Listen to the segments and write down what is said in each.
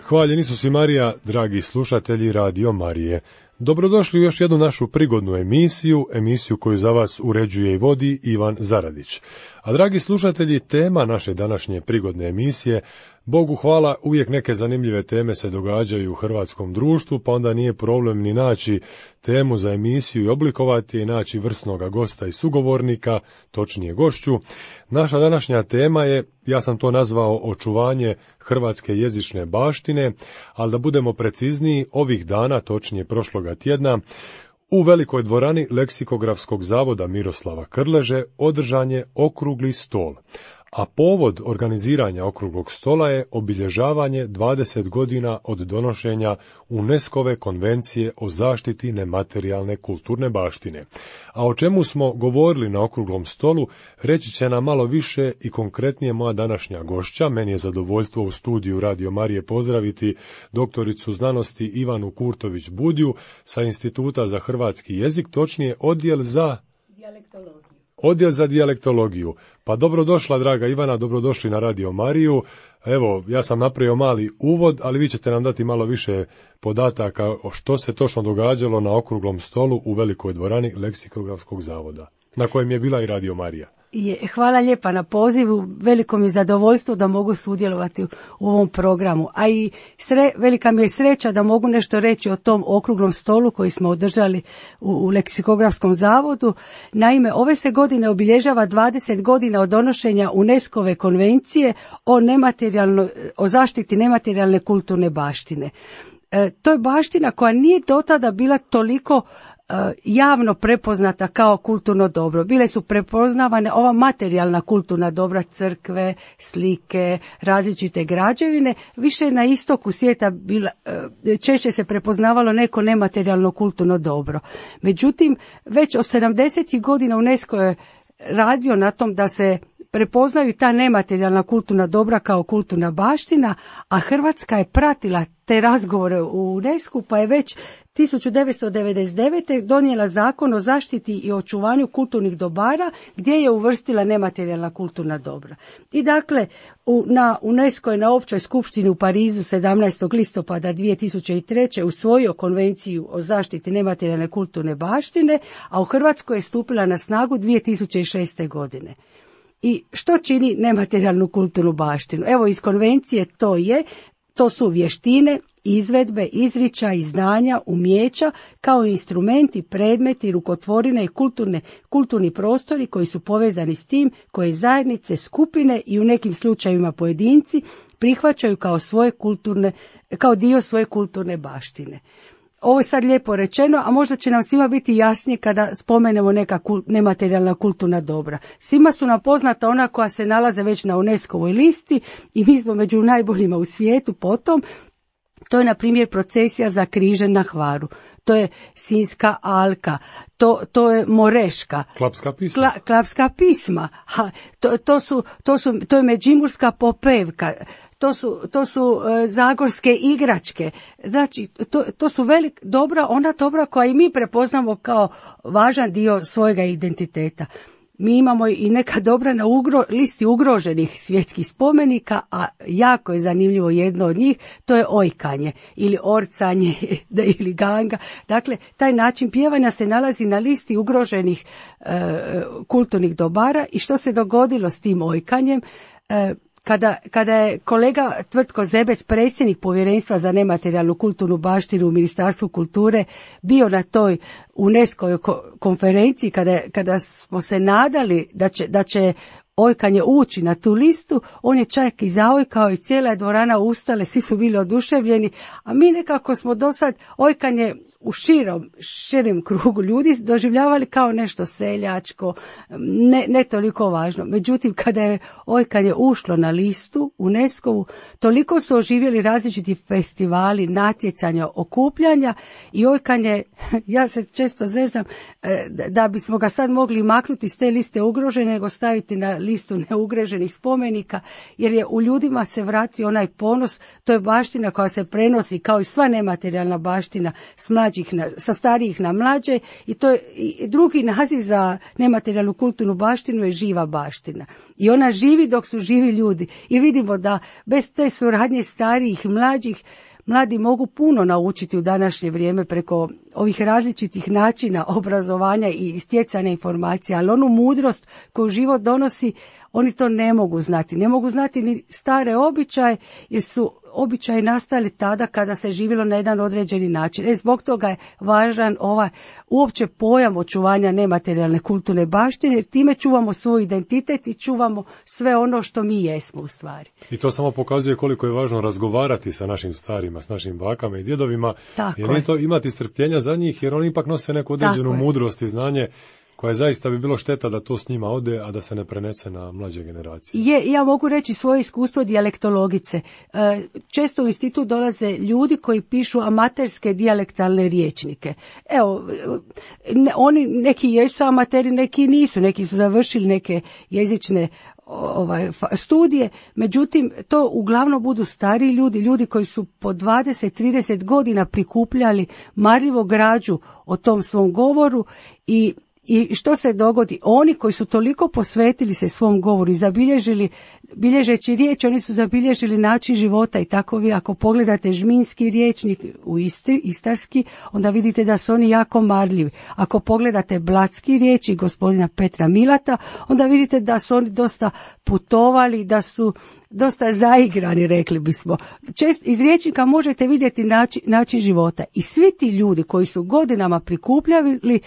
Hvaljen Isus i Marija, dragi slušatelji Radio Marije. Dobrodošli u još jednu našu prigodnu emisiju koju za vas uređuje i vodi Ivan Zaradić. A dragi slušatelji, tema naše današnje prigodne emisije, Bogu hvala, uvijek neke zanimljive teme se događaju u hrvatskom društvu, pa onda nije problem ni naći temu za emisiju i oblikovati je, naći vrsnoga gosta i sugovornika, točnije gošću. Naša današnja tema je, ja sam to nazvao očuvanje hrvatske jezične baštine, ali da budemo precizniji, ovih dana, točnije prošloga tjedna, u velikoj dvorani Leksikografskog zavoda Miroslava Krleže održan je okrugli stol. A povod organiziranja okruglog stola je obilježavanje 20 godina od donošenja UNESCO-ve konvencije o zaštiti nematerijalne kulturne baštine. A o čemu smo govorili na okruglom stolu, reći će nam malo više i konkretnije moja današnja gošća. Meni je zadovoljstvo u studiju Radio Marije pozdraviti doktoricu znanosti Ivanu Kurtović-Budju sa Instituta za hrvatski jezik, točnije Odjel za dijalektologiju. Pa dobrodošla, draga Ivana, dobrodošli na Radio Mariju. Evo, ja sam napravio mali uvod, ali vi ćete nam dati malo više podataka o što se točno događalo na okruglom stolu u velikoj dvorani Leksikografskog zavoda, na kojem je bila i Radio Marija. Hvala lijepa na pozivu, veliko mi je zadovoljstvo da mogu sudjelovati u ovom programu, a i velika mi je sreća da mogu nešto reći o tom okruglom stolu koji smo održali u Leksikografskom zavodu. Naime, ove se godine obilježava 20 godina od donošenja UNESCO-ve konvencije o zaštiti nematerijalne kulturne baštine. To je baština koja nije dotada bila toliko javno prepoznata kao kulturno dobro. Bile su prepoznavane ova materijalna kulturna dobra, crkve, slike, različite građevine. Više na istoku svijeta češće se prepoznavalo neko nematerijalno kulturno dobro. Međutim, već od 70. godina UNESCO je radio na tom da se prepoznaju ta nematerijalna kulturna dobra kao kulturna baština, a Hrvatska je pratila te razgovore u UNESCO, pa je već 1999. donijela zakon o zaštiti i očuvanju kulturnih dobara gdje je uvrstila nematerijalna kulturna dobra. I dakle, UNESCO je na općoj skupštini u Parizu 17. listopada 2003. usvojio konvenciju o zaštiti nematerijalne kulturne baštine, a u Hrvatskoj je stupila na snagu 2006. godine. I što čini nematerijalnu kulturnu baštinu? Evo, iz konvencije to su vještine, izvedbe, izričaji, znanja, umijeća, kao i instrumenti, predmeti, rukotvorine i kulturni prostori koji su povezani s tim, koje zajednice, skupine i u nekim slučajevima pojedinci prihvaćaju kao dio svoje kulturne baštine. Ovo je sad lijepo rečeno, a možda će nam svima biti jasnije kada spomenemo neka nematerijalna kulturna dobra. Svima su nam poznata ona koja se nalaze već na UNESCO-voj listi i mi smo među najboljima u svijetu potom. To je, na primjer, procesija za križem na Hvaru. To je Sinjska alka, to je Moreška. Klapska pisma. To je Međimurska popevka. To su zagorske igračke. Znači, to su ona dobra koja i mi prepoznamo kao važan dio svojega identiteta. Mi imamo i neka dobra na listi ugroženih svjetskih spomenika, a jako je zanimljivo jedno od njih, to je ojkanje ili orcanje ili ganga. Dakle, taj način pjevanja se nalazi na listi ugroženih kulturnih dobara. I što se dogodilo s tim ojkanjem? Kada je kolega Tvrtko Zebec, predsjednik Povjerenstva za nematerijalnu kulturnu baštinu u Ministarstvu kulture, bio na toj UNESCO konferenciji, kada smo se nadali da će ojkanje ući na tu listu, on je čak i zaojkao i cijela je dvorana ustale, svi su bili oduševljeni, a mi nekako smo do sad ojkanje u širem krugu ljudi doživljavali kao nešto seljačko, ne toliko važno. Međutim, kada je ojkanje ušlo na listu UNESCO-vu, toliko su oživjeli različiti festivali, natjecanja, okupljanja i ojkanje, ja se često zezam da bismo ga sad mogli maknuti s te liste ugrožene, nego staviti na listu neugroženih spomenika, jer je u ljudima se vratio onaj ponos, to je baština koja se prenosi kao i sva nematerijalna baština s mladim sa starijih na mlađe i to je drugi naziv za nematerijalnu kulturnu baštinu je živa baština. I ona živi dok su živi ljudi. I vidimo da bez te suradnje starijih i mlađih mladi mogu puno naučiti u današnje vrijeme preko ovih različitih načina obrazovanja i stjecanja informacija, ali onu mudrost koju život donosi, oni to ne mogu znati. Ne mogu znati ni stare običaje, jer su običaji nastali tada kada se živjelo na jedan određeni način. Zbog toga je važan ovaj uopće pojam očuvanja nematerijalne kulturne baštine, jer time čuvamo svoj identitet i čuvamo sve ono što mi jesmo u stvari. I to samo pokazuje koliko je važno razgovarati sa našim starima, s našim bakama i djedovima, jer nije to imati strpljenja za njih, jer oni ipak nose neku određenu mudrost i znanje koja zaista bi bilo šteta da to s njima ode, a da se ne prenese na mlađe generacije. Ja mogu reći svoje iskustvo dijalektologice. Često u institut dolaze ljudi koji pišu amaterske dijalektalne rječnike. Evo, oni neki jesu amateri, neki nisu, neki su završili neke jezične studije, međutim to uglavnom budu stariji ljudi koji su po 20-30 godina prikupljali marljivo građu o tom svom govoru i što se dogodi? Oni koji su toliko posvetili se svom govoru i bilježeći riječ, oni su zabilježili način života i tako vi ako pogledate žminski rječnik u istarski, onda vidite da su oni jako marljivi. Ako pogledate blatski rječnik gospodina Petra Milata, onda vidite da su oni dosta putovali, da su dosta zaigrani, rekli bismo. Često iz rječnika možete vidjeti način života i svi ti ljudi koji su godinama prikupljali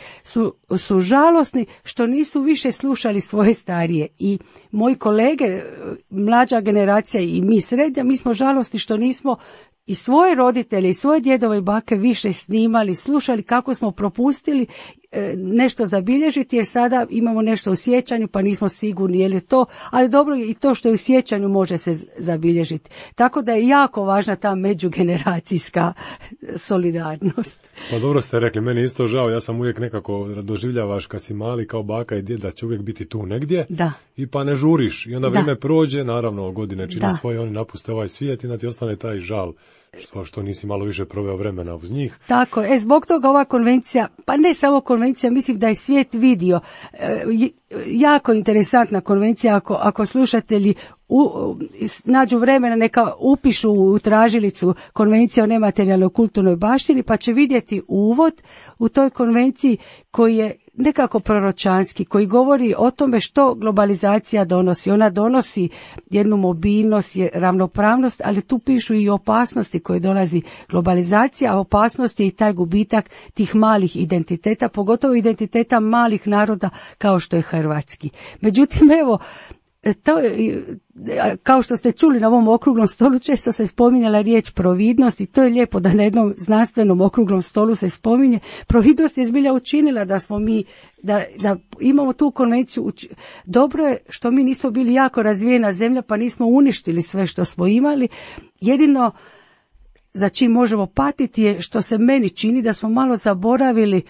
su žalosni što nisu više slušali svoje starije i moji kolege, mlađa generacija i mi srednja, mi smo žalosni što nismo i svoje roditelje i svoje djedove i bake više snimali, slušali kako smo propustili nešto zabilježiti, jer sada imamo nešto u sjećanju pa nismo sigurni je li to, ali dobro i to što je u sjećanju može se zabilježiti. Tako da je jako važna ta međugeneracijska solidarnost. Pa dobro ste rekli, meni isto žao, ja sam uvijek nekako doživljavaš kad si mali kao baka i djed da će uvijek biti tu negdje i pa ne žuriš i onda vrijeme prođe, naravno godine čine svoje, oni napuste ovaj svijet i da ti ostane taj žal što nisi malo više proveo vremena uz njih. Tako, zbog toga ova konvencija, pa ne samo konvencija, mislim da je svijet vidio, jako interesantna konvencija, ako slušatelji nađu vremena neka upišu u tražilicu konvencija o nematerijalnoj kulturnoj baštini, pa će vidjeti uvod u toj konvenciji koji je nekako proročanski, koji govori o tome što globalizacija donosi. Ona donosi jednu mobilnost, ravnopravnost, ali tu pišu i opasnosti koje dolazi globalizacija, a opasnost je i taj gubitak tih malih identiteta, pogotovo identiteta malih naroda kao što je hrvatski. Međutim, evo, to, kao što ste čuli na ovom okruglom stolu, često se spominjala riječ providnost i to je lijepo da na jednom znanstvenom okruglom stolu se spominje. Providnost je zbilja učinila da smo mi, da imamo tu konvenciju. Dobro je što mi nismo bili jako razvijena zemlja pa nismo uništili sve što smo imali. Jedino za čim možemo patiti je što se meni čini da smo malo zaboravili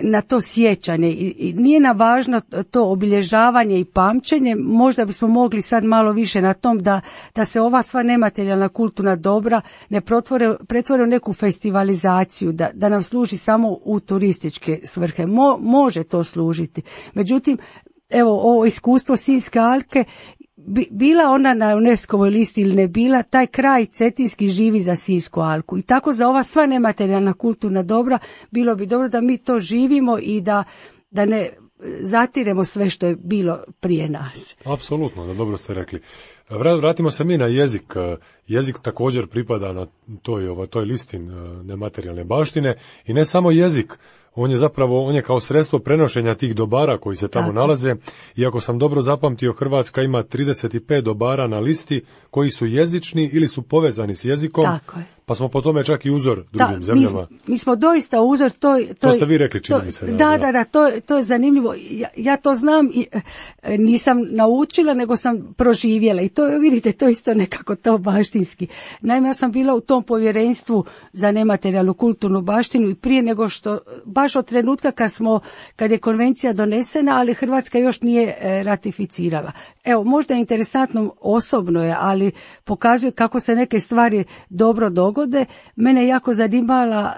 na to sjećanje i nije nam važno to obilježavanje i pamćenje, možda bismo mogli sad malo više na tom da se ova sva nematerijalna kulturna dobra ne pretvore u neku festivalizaciju, da nam služi samo u turističke svrhe. Može to služiti. Međutim, evo ovo iskustvo Sinjske alke, bila ona na UNESCO-ovoj listi ili ne bila, taj kraj cetinski živi za Sinjsku alku i tako za ova sva nematerijalna kulturna dobra bilo bi dobro da mi to živimo i da ne zatiremo sve što je bilo prije nas. Apsolutno, da dobro ste rekli. Vratimo se mi na jezik. Jezik također pripada na toj listi nematerijalne baštine i ne samo jezik. On je kao sredstvo prenošenja tih dobara koji se tamo nalaze. I ako sam dobro zapamtio, Hrvatska ima 35 dobara na listi koji su jezični ili su povezani s jezikom. Tako je. Pa smo po tome čak i uzor drugim zemljama. Mi smo doista uzor. To ste vi rekli, čini mi se. Da, to je zanimljivo. Ja to znam i nisam naučila, nego sam proživjela. I to, vidite, to isto nekako to baštinski. Naime, ja sam bila u tom povjerenstvu za nematerijalnu kulturnu baštinu i prije nego što, baš od trenutka kad je konvencija donesena, ali Hrvatska još nije ratificirala. Evo, možda je interesantno, osobno je, ali pokazuje kako se neke stvari dobro dogode. dogode, mene je jako zanimala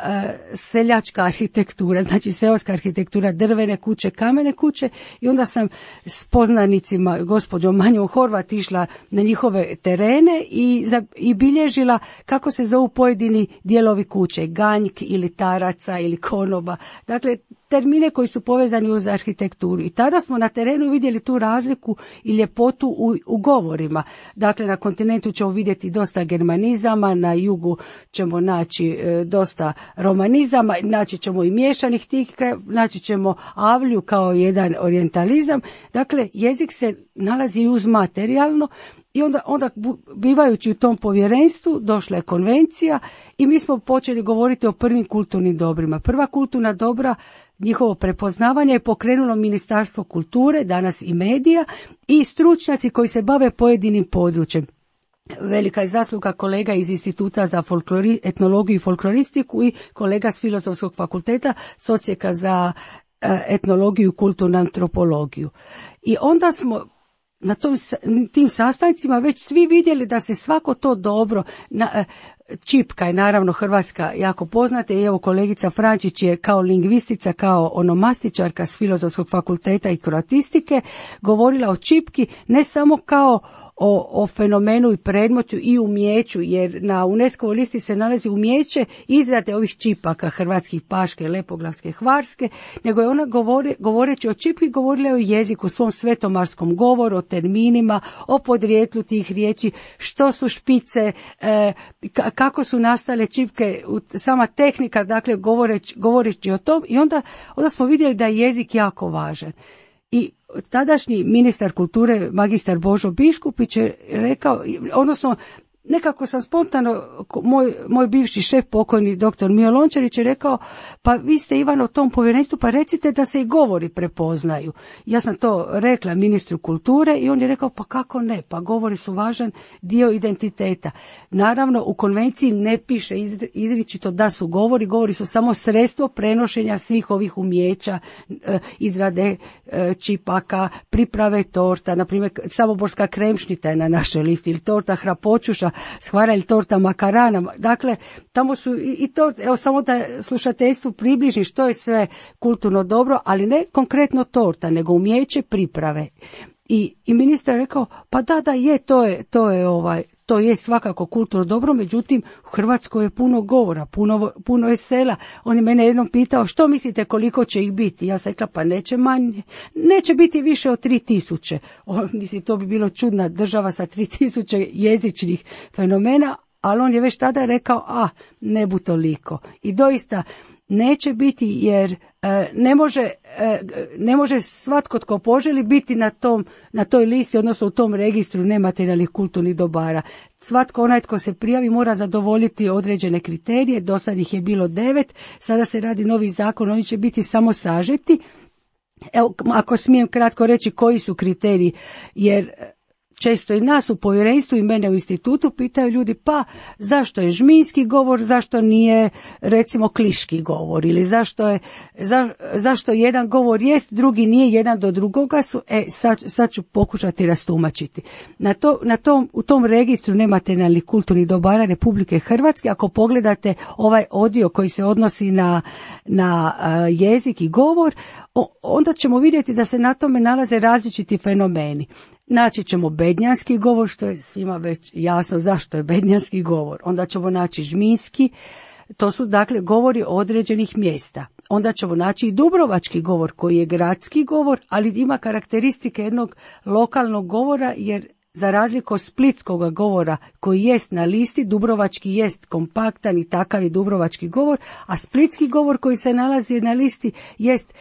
seljačka arhitektura, znači seoska arhitektura, drvene kuće, kamene kuće, i onda sam s poznanicima, gospođom Manjom Horvat, išla na njihove terene i bilježila kako se zovu pojedini dijelovi kuće, ganjk ili taraca ili konoba, dakle termine koji su povezani uz arhitekturu. I tada smo na terenu vidjeli tu razliku i ljepotu u govorima. Dakle, na kontinentu ćemo vidjeti dosta germanizama, na jugu ćemo naći dosta romanizama, naći ćemo i miješanih tih, naći ćemo avlju kao jedan orijentalizam. Dakle, jezik se nalazi uz materijalno. I onda bivajući u tom povjerenstvu došla je konvencija i mi smo počeli govoriti o prvim kulturnim dobrima. Prva kulturna dobra, njihovo prepoznavanje je pokrenulo Ministarstvo kulture, danas i medija, i stručnjaci koji se bave pojedinim područjem. Velika je zasluga kolega iz Instituta za etnologiju i folkloristiku i kolega s Filozofskog fakulteta s Odsjeka za etnologiju i kulturnu antropologiju. I onda smo na tim sastancima već svi vidjeli da se svako to dobro, čipka je naravno hrvatska jako poznata i evo kolegica Frančić je kao lingvistica, kao onomastičarka s Filozofskog fakulteta i kroatistike govorila o čipki ne samo kao o fenomenu i predmetu i umijeću, jer na UNESCO-voj listi se nalazi umijeće izrade ovih čipaka hrvatskih, paške, lepoglavske, hvarske, nego je ona govoreći o čipki govorila o jeziku, svom svetomarskom govoru, o terminima, o podrijetlu tih riječi, što su špice, kako su nastale čipke, sama tehnika, dakle govoreći o tom, i onda smo vidjeli da je jezik jako važan. I tadašnji ministar kulture, magistar Božo Biškupić, je rekao, odnosno nekako sam spontano, moj bivši šef, pokojni doktor Mio Lončarić, je rekao, pa vi ste Ivan u tom povjerenstvu, pa recite da se i govori prepoznaju. Ja sam to rekla ministru kulture i on je rekao, pa kako ne, pa govori su važan dio identiteta. Naravno, u konvenciji ne piše izričito da su govori su samo sredstvo prenošenja svih ovih umijeća, izrade čipaka, priprave torta, na primjer samoborska kremšnita je na našoj listi, ili torta hrapočuša, shvara ili torta makarana. Dakle, tamo su i to, evo samo da slušateljstvu približim što je sve kulturno dobro, ali ne konkretno torta, nego umijeće priprave. I ministar je rekao, pa da je, to je svakako kulturno dobro, međutim u Hrvatskoj je puno govora, puno je sela. On je mene jednom pitao, što mislite koliko će ih biti? Ja sam rekla, pa neće manje, neće biti više od 3000. Mislim, to bi bilo čudna država sa 3000 jezičnih fenomena, ali on je već tada rekao, ne bu toliko. I doista neće biti, jer ne može svatko tko poželi biti na toj listi, odnosno u tom registru nematerijalnih kulturnih dobara. Svatko onaj tko se prijavi mora zadovoljiti određene kriterije, do sad ih je bilo 9, sada se radi novi zakon, oni će biti samo sažeti. Evo, ako smijem kratko reći koji su kriteriji, jer često i nas u povjerenstvu i mene u institutu pitaju ljudi, pa zašto je žminski govor, zašto nije recimo kliški govor, ili zašto jedan govor jest, drugi nije, jedan do drugoga su. Sad ću pokušati rastumačiti. U tom registru nematerijalnih kulturnih dobara Republike Hrvatske, ako pogledate ovaj odio koji se odnosi na jezik i govor, onda ćemo vidjeti da se na tome nalaze različiti fenomeni. Naći ćemo bednjanski govor, što je svima već jasno zašto je bednjanski govor. Onda ćemo naći žminski, to su dakle govori određenih mjesta. Onda ćemo naći i dubrovački govor koji je gradski govor, ali ima karakteristike jednog lokalnog govora, jer za razliku od splitskog govora koji jest na listi, dubrovački jest kompaktan i takav je dubrovački govor, a splitski govor koji se nalazi na listi jest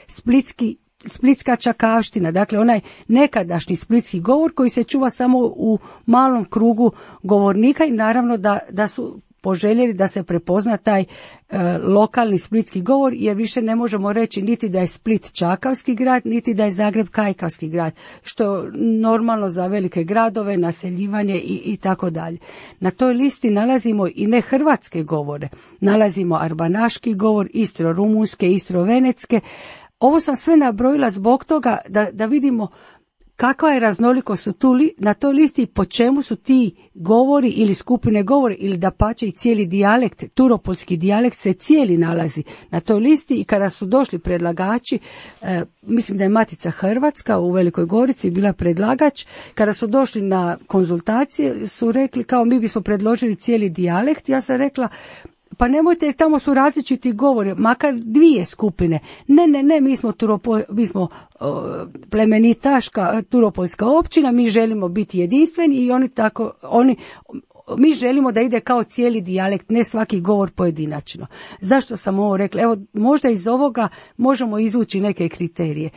splitska čakavština, dakle onaj nekadašnji splitski govor koji se čuva samo u malom krugu govornika, i naravno da su poželjeli da se prepozna taj lokalni splitski govor, jer više ne možemo reći niti da je Split čakavski grad, niti da je Zagreb kajkavski grad, što je normalno za velike gradove, naseljivanje i tako dalje. Na toj listi nalazimo i nehrvatske govore, nalazimo arbanaški govor, istro-rumunske, istro-venecke. Ovo sam sve nabrojila zbog toga da vidimo kakva je raznolikost na toj listi, po čemu su ti govori ili skupine govori ili dapače i cijeli dijalekt, turopoljski dijalekt se cijeli nalazi na toj listi. I kada su došli predlagači, mislim da je Matica Hrvatska u Velikoj Gorici bila predlagač, kada su došli na konzultacije su rekli kao mi bismo predložili cijeli dijalekt. Ja sam rekla pa nemojte, jer tamo su različiti govori, makar dvije skupine. Ne, mi smo plemenitaška turopoljska općina, mi želimo biti jedinstveni i mi želimo da ide kao cijeli dijalekt, ne svaki govor pojedinačno. Zašto sam ovo rekla? Evo, možda iz ovoga možemo izvući neke kriterije.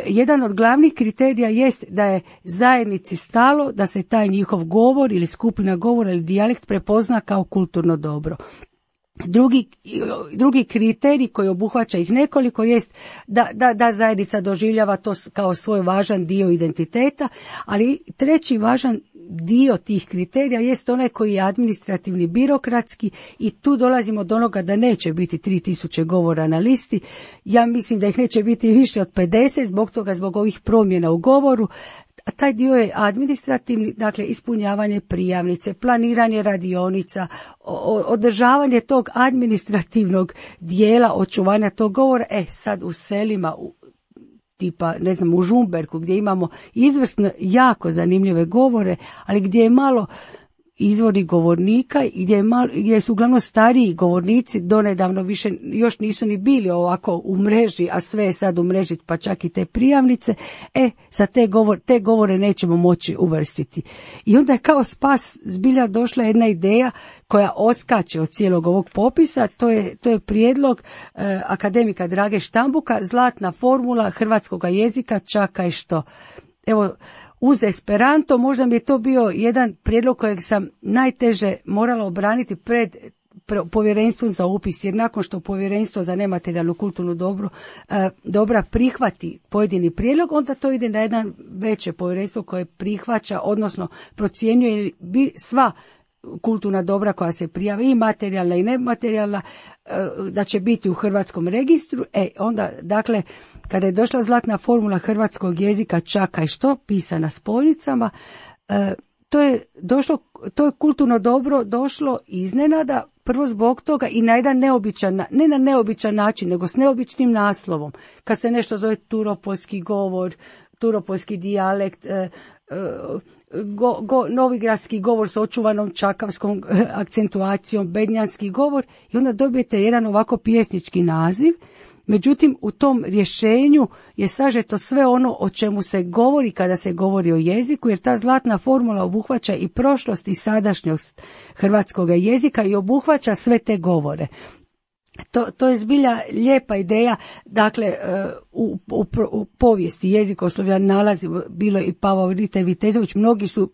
Jedan od glavnih kriterija jest da je zajednici stalo da se taj njihov govor ili skupina govora ili dijalekt prepozna kao kulturno dobro. Drugi kriterij koji obuhvaća ih nekoliko jest da zajednica doživljava to kao svoj važan dio identiteta, ali treći važan dio tih kriterija jest onaj koji je administrativni, birokratski i tu dolazimo do onoga da neće biti 3000 govora na listi. Ja mislim da ih neće biti više od 50 zbog ovih promjena u govoru. A taj dio je administrativni, dakle ispunjavanje prijavnice, planiranje radionica, održavanje tog administrativnog dijela očuvanja tog govora. Sad u selima, tipa ne znam u Žumberku gdje imamo izvrsno jako zanimljive govore, ali gdje je malo izvori govornika i gdje su uglavnom stariji govornici, donedavno više još nisu ni bili ovako u mreži, a sve je sad u mreži, pa čak i te prijavnice, za te govore nećemo moći uvrstiti. I onda je kao spas zbilja došla jedna ideja koja oskače od cijelog ovog popisa, to je prijedlog akademika Drage Štambuka, zlatna formula hrvatskoga jezika čakaj što. Evo, uz Esperanto možda mi je to bio jedan prijedlog kojeg sam najteže morala obraniti pred povjerenstvom za upis, jer nakon što povjerenstvo za nematerijalnu kulturnu dobra prihvati pojedini prijedlog, onda to ide na jedan veće povjerenstvo koje prihvaća, odnosno procjenjuje sva kulturna dobra koja se prijave, i materijalna i nematerijalna, da će biti u hrvatskom registru. Onda, dakle, kada je došla zlatna formula hrvatskog jezika čakaj što, pisana spojnicama, to je kulturno dobro došlo iznenada, prvo zbog toga i na jedan ne na neobičan način, nego s neobičnim naslovom. Kad se nešto zove turopoljski govor, turopoljski dijalekt, novigradski govor s očuvanom čakavskom akcentuacijom, bednjanski govor, i onda dobijete jedan ovako pjesnički naziv. Međutim, u tom rješenju je sažeto sve ono o čemu se govori kada se govori o jeziku, jer ta zlatna formula obuhvaća i prošlost i sadašnjost hrvatskog jezika i obuhvaća sve te govore. To je zbilja lijepa ideja. Dakle, u povijesti jezikoslovlja nalazi bilo i Pavao Rita i Vitezović, mnogi su,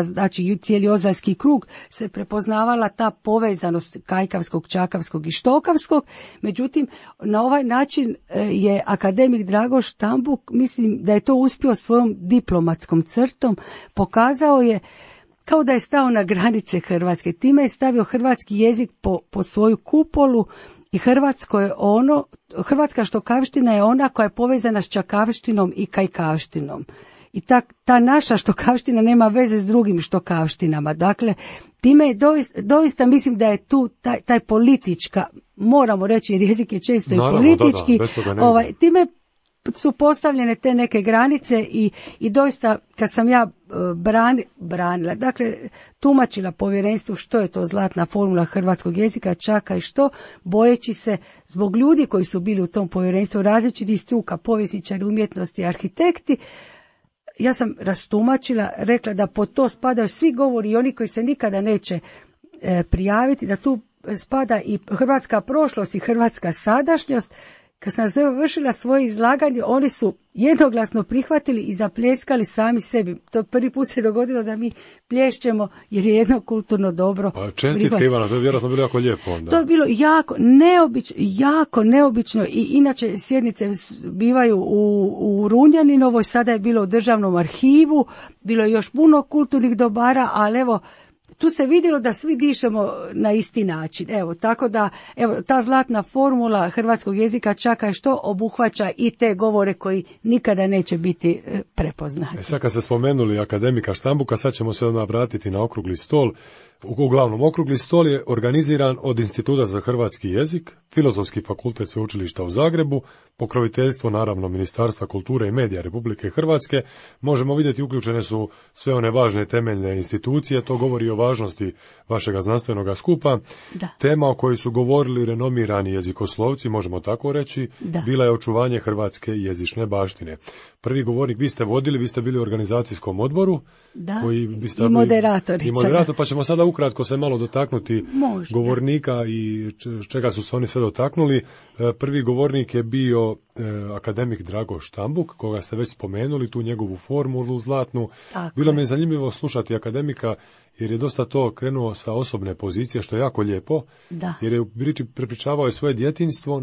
znači cijeli Ozaljski krug se prepoznavala ta povezanost kajkavskog, čakavskog i štokavskog. Međutim, na ovaj način je akademik Drago Štambuk, mislim da je to uspio svojom diplomatskom crtom, pokazao je kao da je stao na granice Hrvatske. Time je stavio hrvatski jezik po svoju kupolu i hrvatska štokavština je ona koja je povezana s čakavštinom i kajkavštinom. I ta naša štokavština nema veze s drugim štokavštinama. Dakle, time je doista mislim da je tu taj politička, moramo reći jer jezik je često naravno, i politički, time su postavljene te neke granice i doista kad sam ja branila, dakle tumačila povjerenstvu što je to zlatna formula hrvatskog jezika, čakaj što, bojeći se zbog ljudi koji su bili u tom povjerenstvu, različitih struka, povjesničari, umjetnosti, arhitekti, ja sam rastumačila, rekla da pod to spadaju svi govori i oni koji se nikada neće prijaviti, da tu spada i hrvatska prošlost i hrvatska sadašnjost. Kad sam završila svoje izlaganje, oni su jednoglasno prihvatili i zapljeskali sami sebi. To prvi put se dogodilo da mi plješćemo jer je jedno kulturno dobro. Čestitke Ivana, to je vjerojatno bilo jako lijepo onda. To je bilo jako neobično i inače sjednice bivaju u Runjaninovoj, sada je bilo u Državnom arhivu, bilo je još puno kulturnih dobara, ali evo, tu se vidjelo da svi dišemo na isti način. Evo, tako da, evo, ta zlatna formula hrvatskog jezika čaka što obuhvaća i te govore koji nikada neće biti prepoznati. Sad kad ste spomenuli akademika Štambuka, sad ćemo se odmah vratiti na okrugli stol. Uglavnom, okrugli stol je organiziran od Instituta za hrvatski jezik, Filozofski fakultet Sveučilišta u Zagrebu, pokroviteljstvo naravno Ministarstva kulture i medija Republike Hrvatske. Možemo vidjeti uključene su sve one važne temeljne institucije, to govori o važnosti vašega znanstvenoga skupa. Da. Tema o kojoj su govorili renomirani jezikoslovci, možemo tako reći, bila je očuvanje hrvatske jezične baštine. Prvi govornik vi ste bili u organizacijskom odboru. Da, koji i moderatorica. I moderator, pa ćemo sada ukratko se malo dotaknuti govornika i čega su se oni sve dotaknuli. Prvi govornik je bio akademik Drago Štambuk, koga ste već spomenuli, tu njegovu formulu zlatnu. Bilo mi je zanimljivo slušati akademika, jer je dosta to krenuo sa osobne pozicije, što je jako lijepo, jer je prepričavao svoje djetinjstvo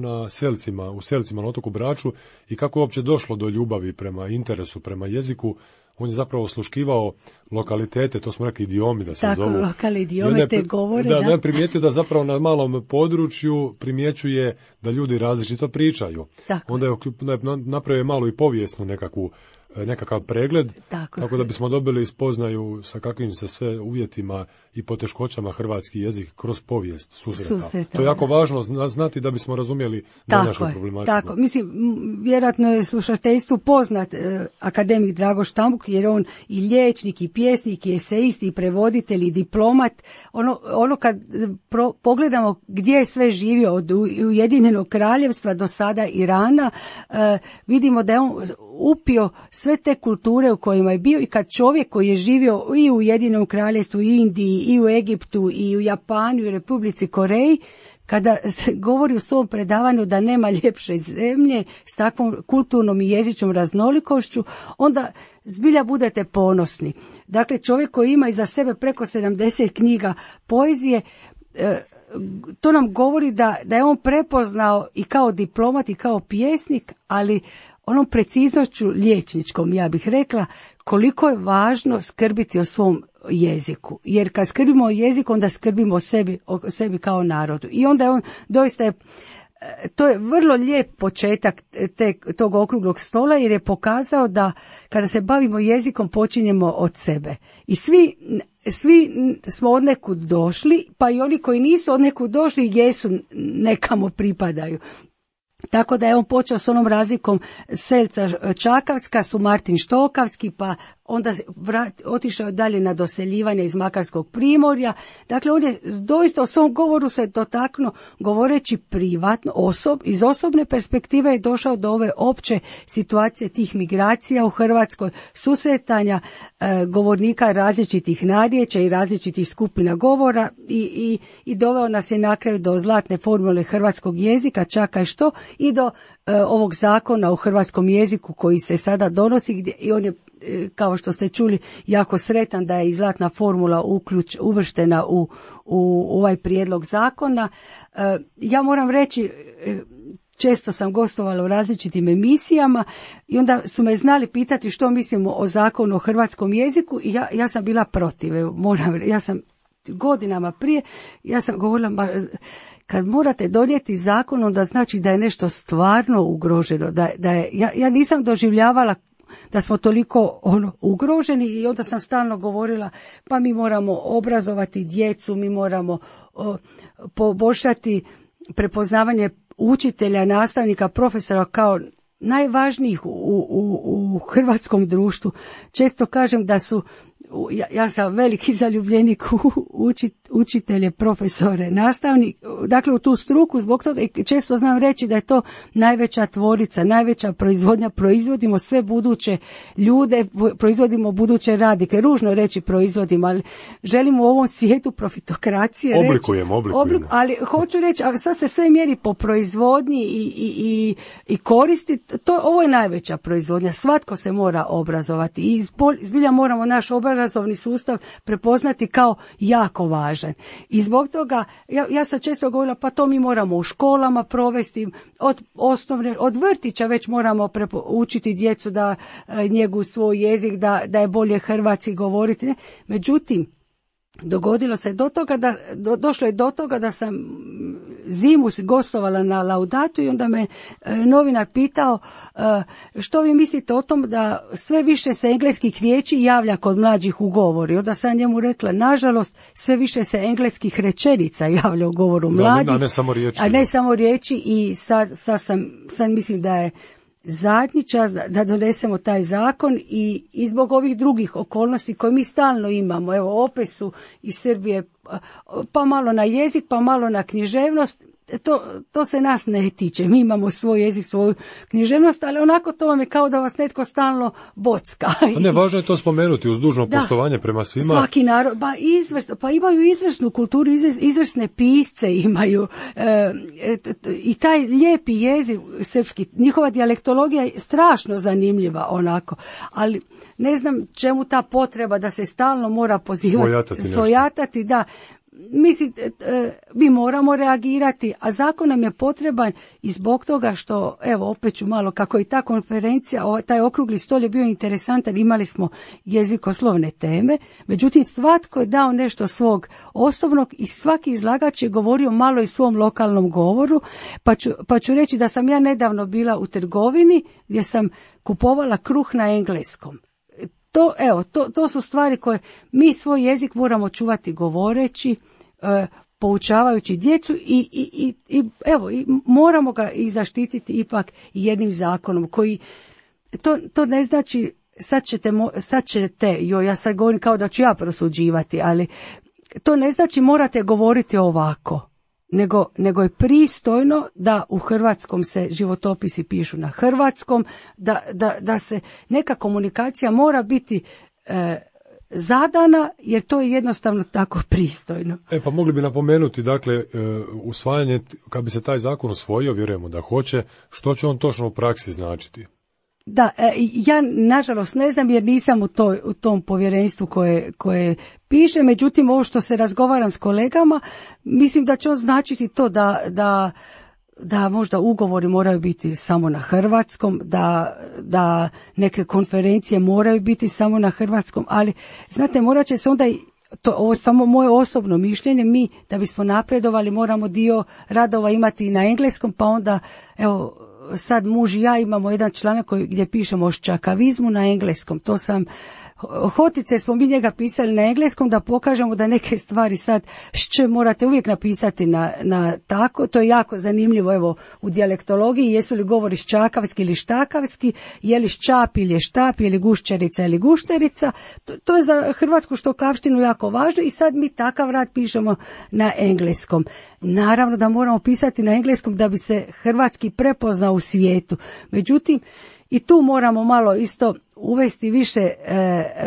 u Selcima na otoku Braču i kako je uopće došlo do ljubavi prema interesu, prema jeziku. On je zapravo osluškivao lokalitete, to smo rekli idiomi da se zovu. Tako, lokalne idiome, te govore. Da, primijetio da zapravo na malom području primjećuje da ljudi različito pričaju. Tako. Onda je napravio malo i povijesnu nekakav pregled, tako da bismo dobili spoznaju sa kakvim se sve uvjetima i poteškoćama hrvatski jezik kroz povijest susreta. To je jako važno znati da bismo razumjeli današnju problematiku. Tako, mislim, vjerojatno je slušateljstvu poznat akademik Drago Štambuk, jer on i liječnik, i pjesnik, i esejist, i prevoditelj, i diplomat. Ono kad pogledamo gdje je sve živio od Ujedinjenog kraljevstva do sada Irana, vidimo da je on upio sve te kulture u kojima je bio, i kad čovjek koji je živio i u Ujedinjenom kraljevstvu, i Indiji, i u Egiptu, i u Japanu, i u Republici Koreji, kada se govori u svom predavanju da nema ljepše zemlje s takvom kulturnom i jezičnom raznolikošću, onda zbilja budete ponosni. Dakle, čovjek koji ima iza sebe preko 70 knjiga poezije, to nam govori da je on prepoznao i kao diplomat i kao pjesnik, ali onom preciznošću liječničkom, ja bih rekla, koliko je važno skrbiti o svom jeziku. Jer kad skrbimo o jeziku, onda skrbimo o sebi kao narodu. I onda je on doista to je vrlo lijep početak tog okruglog stola, jer je pokazao da kada se bavimo jezikom počinjemo od sebe. I svi smo od nekud došli, pa i oni koji nisu od nekud došli jesu nekamo pripadaju. Tako da je on počeo s onom razlikom Selca Čakavska, su Martin Štokavski, pa onda otišao dalje na doseljivanje iz Makarskog primorja. Dakle, on je doista u svom govoru se dotaknuo, govoreći privatno, iz osobne perspektive je došao do ove opće situacije tih migracija u Hrvatskoj, susretanja govornika različitih narječja i različitih skupina govora i doveo nas je na kraju do zlatne formule hrvatskog jezika, čakaj što, i do ovog zakona o hrvatskom jeziku koji se sada donosi, i on je, kao što ste čuli, jako sretan da je i zlatna formula uvrštena u ovaj prijedlog zakona. Ja moram reći, često sam gostovala u različitim emisijama i onda su me znali pitati što mislimo o zakonu o hrvatskom jeziku, i ja sam bila protiv. Ja sam godinama prije, ja sam govorila, kad morate donijeti zakon, onda znači da je nešto stvarno ugroženo. Ja nisam doživljavala da smo toliko ugroženi, i onda sam stalno govorila, pa mi moramo obrazovati djecu, mi moramo poboljšati prepoznavanje učitelja, nastavnika, profesora kao najvažnijih u hrvatskom društvu. Često kažem da su, ja sam veliki zaljubljenik u učitelje, profesore, nastavnik, dakle u tu struku, zbog toga često znam reći da je to najveća tvorica, najveća proizvodnja, proizvodimo sve buduće ljude, proizvodimo buduće radnike, ružno reći proizvodimo, ali želimo u ovom svijetu profitokracije oblikujemo. Ali hoću reći, a sad se sve mjeri po proizvodnji i koristi, ovo je najveća proizvodnja, svatko se mora obrazovati i zbilja moramo naš obrazovni sustav prepoznati kao jako važan. I zbog toga, ja sam često govorila, pa to mi moramo u školama provesti, od vrtića već moramo učiti djecu da njegu svoj jezik, da je bolje hrvatski govoriti. Ne? Međutim, dogodilo se do toga došlo je do toga da sam zimu gostovala na Laudatu i onda me novinar pitao što vi mislite o tom da sve više se engleskih riječi javlja kod mlađih u govoru. Onda sam njemu rekla, nažalost, sve više se engleskih rečenica javlja u govoru mladih, a ne samo riječi i sad mislim da je zadnji čas da donesemo taj zakon i zbog ovih drugih okolnosti koje mi stalno imamo. Evo, opet su iz Srbije pa malo na jezik, pa malo na književnost. To se nas ne tiče. Mi imamo svoj jezik, svoju književnost, ali onako to vam je kao da vas netko stalno bocka. Ne, važno je to spomenuti uz dužno poštovanje prema svima. Svaki narod, pa imaju izvrsnu kulturu, izvrsne pisce imaju i taj lijepi jezik srpski, njihova dijalektologija je strašno zanimljiva onako, ali ne znam čemu ta potreba da se stalno mora pozivati, svojatati, da. Mislim, mi moramo reagirati, a zakon nam je potreban i zbog toga što, evo, opet ću malo, kako i ta konferencija, taj okrugli stol je bio interesantan, imali smo jezikoslovne teme, međutim, svatko je dao nešto svog osobnog i svaki izlagač je govorio malo i svom lokalnom govoru, pa ću reći da sam ja nedavno bila u trgovini gdje sam kupovala kruh na engleskom. To su stvari koje mi svoj jezik moramo čuvati govoreći, poučavajući djecu i moramo ga i zaštititi ipak jednim zakonom koji, to ne znači sad ćete, ja sad govorim kao da ću ja prosuđivati, ali to ne znači morate govoriti ovako. Nego je pristojno da u hrvatskom se životopisi pišu na hrvatskom, da se neka komunikacija mora biti zadana, jer to je jednostavno tako pristojno. Pa mogli bi napomenuti, dakle, usvajanje, kad bi se taj zakon usvojio, vjerujemo da hoće, što će on točno u praksi značiti? Da, ja nažalost ne znam jer nisam u tom povjerenstvu koje piše, međutim ovo što se razgovaram s kolegama, mislim da će on značiti to da možda ugovori moraju biti samo na hrvatskom, da neke konferencije moraju biti samo na hrvatskom, ali znate, morat će se onda ovo samo moje osobno mišljenje, mi da bismo napredovali moramo dio radova imati i na engleskom, pa onda evo sad muž i ja imamo jedan članak gdje pišemo o ščakavizmu na engleskom. To sam hotice smo mi njega pisali na engleskom da pokažemo da neke stvari sad morate uvijek napisati na tako. To je jako zanimljivo, evo, u dijalektologiji, jesu li govori ščakavski ili štakavski, je li ščap ili je štap, je li gušćarica ili gušterica. To je za hrvatsku štokavštinu jako važno i sad mi takav rad pišemo na engleskom. Naravno da moramo pisati na engleskom da bi se hrvatski prepoznao u svijetu. Međutim, i tu moramo malo isto uvesti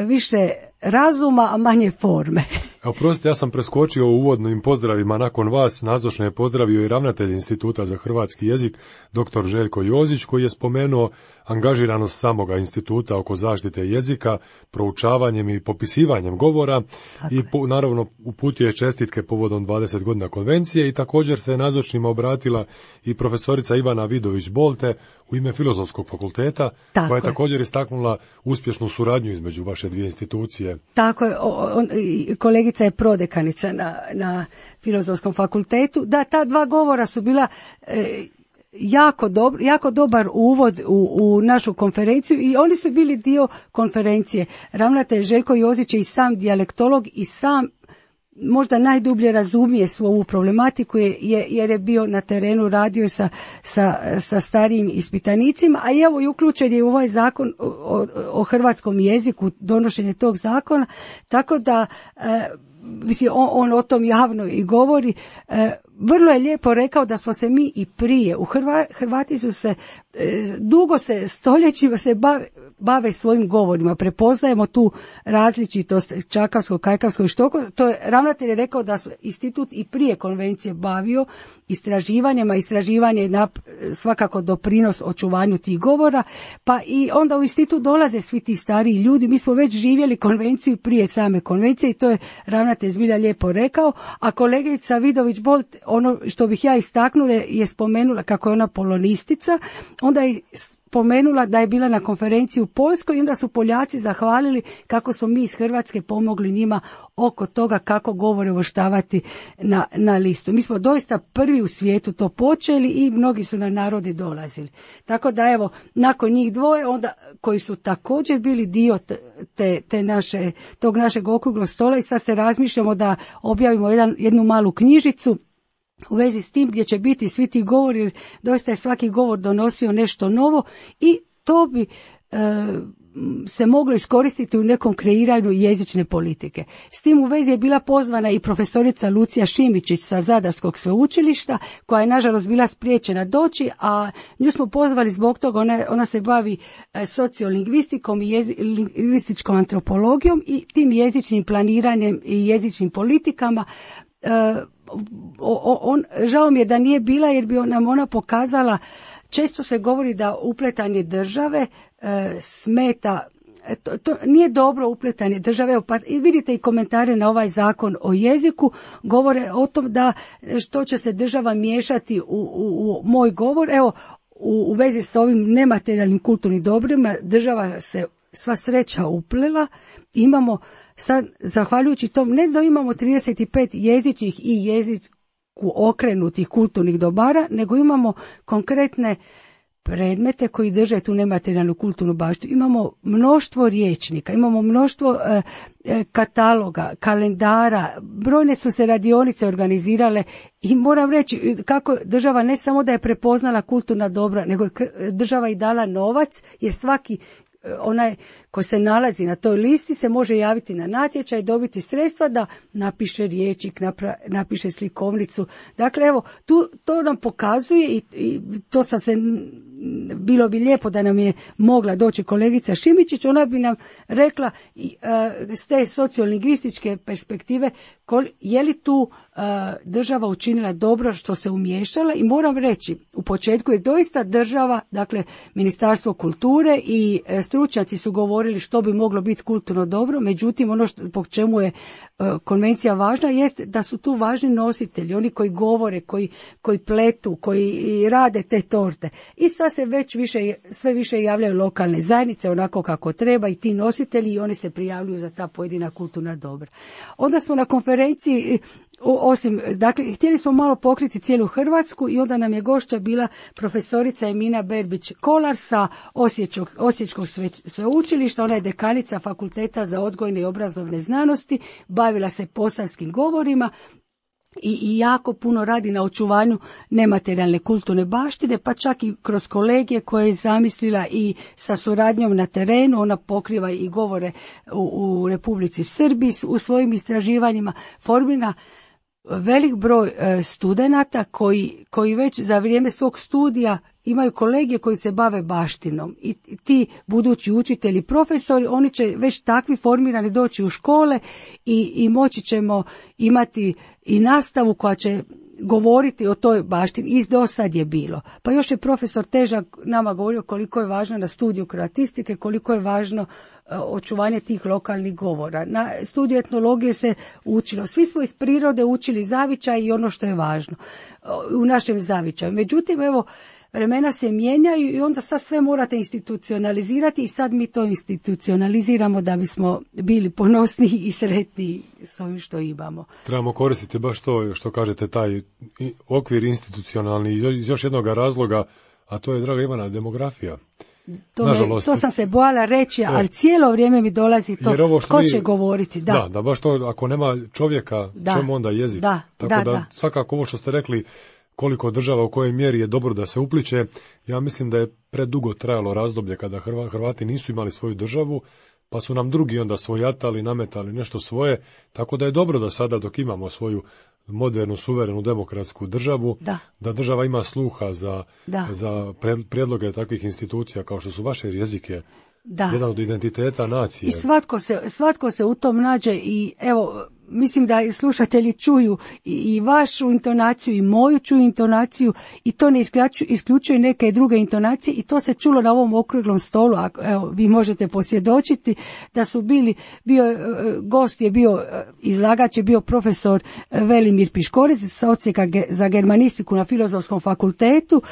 više razuma, a manje forme. Oprostite, ja sam preskočio u uvodnim pozdravima nakon vas. Nazočne je pozdravio i ravnatelj Instituta za hrvatski jezik, dr. Željko Jozić, koji je spomenuo angažiranost samoga instituta oko zaštite jezika, proučavanjem i popisivanjem govora. Tako i naravno uputio je čestitke povodom 20 godina konvencije i također se nazočnima obratila i profesorica Ivana Vidović-Bolte u ime Filozofskog fakulteta, koja je također istaknula uspješnu suradnju između vaše dvije institucije. Tako je, kolegica je prodekanica na Filozofskom fakultetu. Da, ta dva govora su bila jako dobar uvod u našu konferenciju i oni su bili dio konferencije. Ravnatelj Željko Jozić je i sam dijalektolog i sam možda najdublje razumije svu ovu problematiku jer je bio na terenu, radio sa starijim ispitanicima, a evo i uključen je u ovaj zakon o hrvatskom jeziku, donošenje tog zakona, tako da mislim, on o tom javno i govori. Vrlo je lijepo rekao da smo se mi i prije, Hrvati su se dugo stoljećima se bave svojim govorima, prepoznajemo tu različitost čakavskog, kajkavskog i štokavskog. To je ravnatelj je rekao da su institut i prije konvencije bavio istraživanjima, istraživanje je svakako doprinos očuvanju tih govora, pa i onda u institut dolaze svi ti stariji ljudi, mi smo već živjeli konvenciju prije same konvencije i to je ravnatelj zbilja lijepo rekao, a kolegica Vidović-Bolt, ono što bih ja istaknula je spomenula kako je ona polonistica, onda je spomenula da je bila na konferenciji u Poljskoj i onda su Poljaci zahvalili kako smo mi iz Hrvatske pomogli njima oko toga kako govore uvrštavati na listu. Mi smo doista prvi u svijetu to počeli i mnogi su na narodi dolazili. Tako da evo, nakon njih dvoje, onda koji su također bili dio tog našeg okruglog stola i sad se razmišljamo da objavimo jednu malu knjižicu u vezi s tim gdje će biti svi ti govori, jer doista je svaki govor donosio nešto novo i to bi se moglo iskoristiti u nekom kreiranju jezične politike. S tim u vezi je bila pozvana i profesorica Lucija Šimičić sa Zadarskog sveučilišta, koja je nažalost bila spriječena doći, a nju smo pozvali zbog toga, ona se bavi sociolingvistikom i lingvističkom antropologijom i tim jezičnim planiranjem i jezičnim politikama. Žao mi je da nije bila, jer bi nam ona pokazala, često se govori da upletanje države smeta, to nije dobro upletanje države, pa vidite i komentare na ovaj zakon o jeziku, govore o tom da što će se država miješati u moj govor. Evo, u vezi s ovim nematerijalnim kulturnim dobrima, država se sva sreća uplela. Imamo sad, zahvaljujući tom, ne da imamo 35 jezičnih i jeziku okrenutih kulturnih dobara, nego imamo konkretne predmete koji drže tu nematerijalnu kulturnu baštinu. Imamo mnoštvo rječnika, imamo mnoštvo kataloga, kalendara, brojne su se radionice organizirale i moram reći kako država ne samo da je prepoznala kulturna dobra, nego je država i dala novac, jer svaki onaj koji se nalazi na toj listi se može javiti na natječaj i dobiti sredstva da napiše riječnik, napiše slikovnicu. Dakle, evo, to nam pokazuje i to sam se, bilo bi lijepo da nam je mogla doći kolegica Šimičić, ona bi nam rekla s te sociolingvističke perspektive je li tu država učinila dobro što se umiješala. I moram reći, u početku je doista država, dakle Ministarstvo kulture i stručnjaci su govorili što bi moglo biti kulturno dobro, međutim ono po čemu je konvencija važna jest da su tu važni nositelji, oni koji govore, koji pletu, koji rade te torte. I sad se već sve više javljaju lokalne zajednice onako kako treba i ti nositelji, i oni se prijavljuju za ta pojedina kulturna dobra. Onda smo na konferenciji, dakle, htjeli smo malo pokriti cijelu Hrvatsku i onda nam je gošća bila profesorica Emina Berbić-Kolar sa Osječkog sveučilišta. Ona je dekanica Fakulteta za odgojne i obrazovne znanosti, bavila se posavskim govorima i jako puno radi na očuvanju nematerijalne kulturne baštine, pa čak i kroz kolegije koje je zamislila i sa suradnjom na terenu. Ona pokriva i govore u Republici Srbiji u svojim istraživanjima, formira velik broj studenata koji već za vrijeme svog studija imaju kolegije koji se bave baštinom i ti budući učitelji, profesori, oni će već takvi formirani doći u škole i moći ćemo imati i nastavu koja će govoriti o toj baštini. I do sad je bilo. Pa još je profesor Težak nama govorio koliko je važno na studiju kroatistike, koliko je važno očuvanje tih lokalnih govora. Na studiju etnologije se učilo. Svi smo iz prirode učili zavičaj i ono što je važno u našem zavičaju. Međutim, evo, vremena se mijenjaju i onda sad sve morate institucionalizirati i sad mi to institucionaliziramo da bismo bili ponosni i sretni s ovim što imamo. Trebamo koristiti baš to što kažete, taj okvir institucionalni iz još jednog razloga, a to je, draga Ivana, demografija. To sam se bojala reći, ali cijelo vrijeme mi dolazi to, ko će govoriti. Da, baš to, ako nema čovjeka, čemu onda jezik? Tako da svakako ovo što ste rekli, koliko država u kojoj mjeri je dobro da se upliče, ja mislim da je predugo trajalo razdoblje kada Hrvati nisu imali svoju državu, pa su nam drugi onda svojatali, nametali nešto svoje, tako da je dobro da sada dok imamo svoju modernu, suverenu, demokratsku državu, da država ima sluha za prijedloge takvih institucija kao što su vaše jezike, jedan od identiteta nacije. I svatko se u tom nađe i evo, mislim da slušatelji čuju i vašu intonaciju i moju čuju intonaciju i to ne isključuje neke druge intonacije i to se čulo na ovom okruglom stolu. Evo, vi možete posvjedočiti da su gost je bio, izlagač je bio profesor Velimir Piškorec sa odsjeka za germanistiku na Filozofskom fakultetu.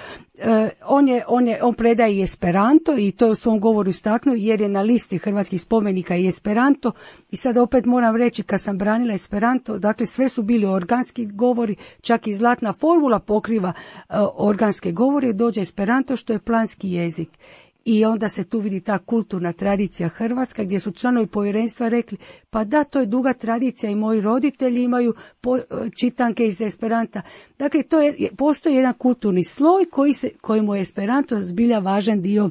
On predaje i Esperanto i to je u svom govoru istaknuo jer je na listi hrvatskih spomenika i Esperanto. I sad opet moram reći, kad sam branila Esperanto, dakle sve su bili organski govori, čak i Zlatna formula pokriva organske govore, dođe Esperanto što je planski jezik. I onda se tu vidi ta kulturna tradicija hrvatska gdje su članovi povjerenstva rekli pa da, to je duga tradicija i moji roditelji imaju čitanke iz Esperanta. Dakle, postoji jedan kulturni sloj kojemu je Esperanto zbilja važan dio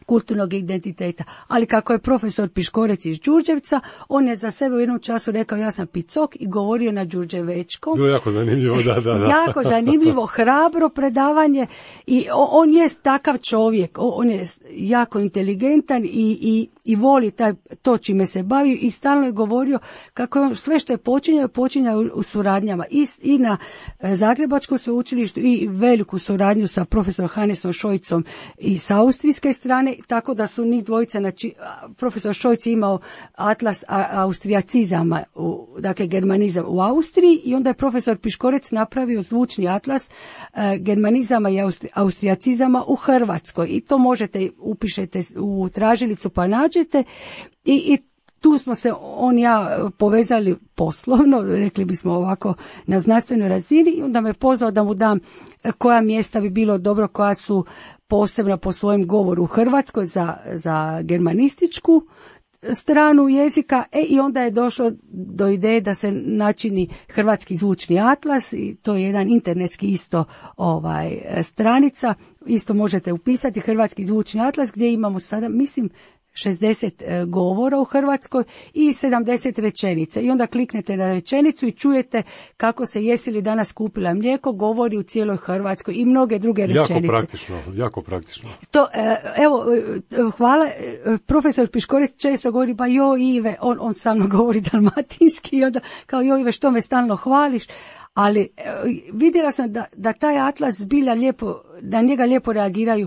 kulturnog identiteta. Ali kako je profesor Piškorec iz Đurđevca, on je za sebe u jednom času rekao ja sam Picok i govorio na đurđevečkom. Bilo jako zanimljivo, da. Jako zanimljivo, hrabro predavanje i on je takav čovjek, on je jako inteligentan i voli to čime se bavi i stalno je govorio kako je on sve što je počinjao u suradnjama i na Zagrebačkom sveučilištu i veliku suradnju sa profesorom Hannesom Šojcom i sa austrijske strane, tako da su njih dvojica, profesor Šojc je imao atlas austrijacizama, dakle germanizam u Austriji i onda je profesor Piškorec napravio zvučni atlas germanizama i austrijacizama u Hrvatskoj i to možete, upišete u tražilicu pa nađete i tu smo se on i ja povezali poslovno, rekli bismo ovako na znanstvenoj razini i onda me pozvao da mu dam koja mjesta bi bilo dobro, koja su posebna po svojem govoru u Hrvatskoj za germanističku stranu jezika i onda je došlo do ideje da se načini hrvatski zvučni atlas i to je jedan internetski isto stranica, isto možete upisati hrvatski zvučni atlas gdje imamo sada, mislim, 60 govora u Hrvatskoj i 70 rečenica. I onda kliknete na rečenicu i čujete kako se jesi li danas kupila mlijeko, govori u cijeloj Hrvatskoj i mnoge druge rečenice. Jako praktično. To, evo, hvala. Profesor Piškorec često govori, pa joj Ive, on sa mnom govori dalmatinski i onda kao joj Ive, što me stalno hvališ. Ali vidjela sam da taj atlas zbilja lijepo, na njega lijepo reagiraju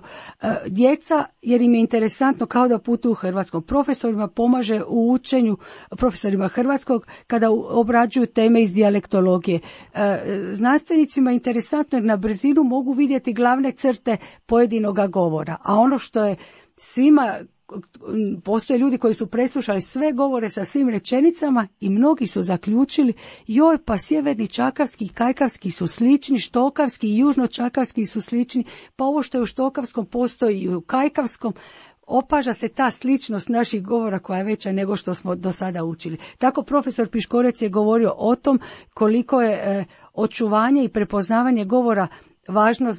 djeca jer im je interesantno kao da putuju u Hrvatskom. Profesorima pomaže u učenju, profesorima hrvatskog kada obrađuju teme iz dijalektologije. Znanstvenicima je interesantno jer na brzinu mogu vidjeti glavne crte pojedinoga govora. A ono što je svima, postoje ljudi koji su preslušali sve govore sa svim rečenicama i mnogi su zaključili joj pa sjeverni čakavski i kajkavski su slični, štokavski i južno-čakavski su slični, pa ovo što je u štokavskom postoji i u kajkavskom. Opaža se ta sličnost naših govora koja je veća nego što smo do sada učili. Tako profesor Piškorec je govorio o tom koliko je očuvanje i prepoznavanje govora važno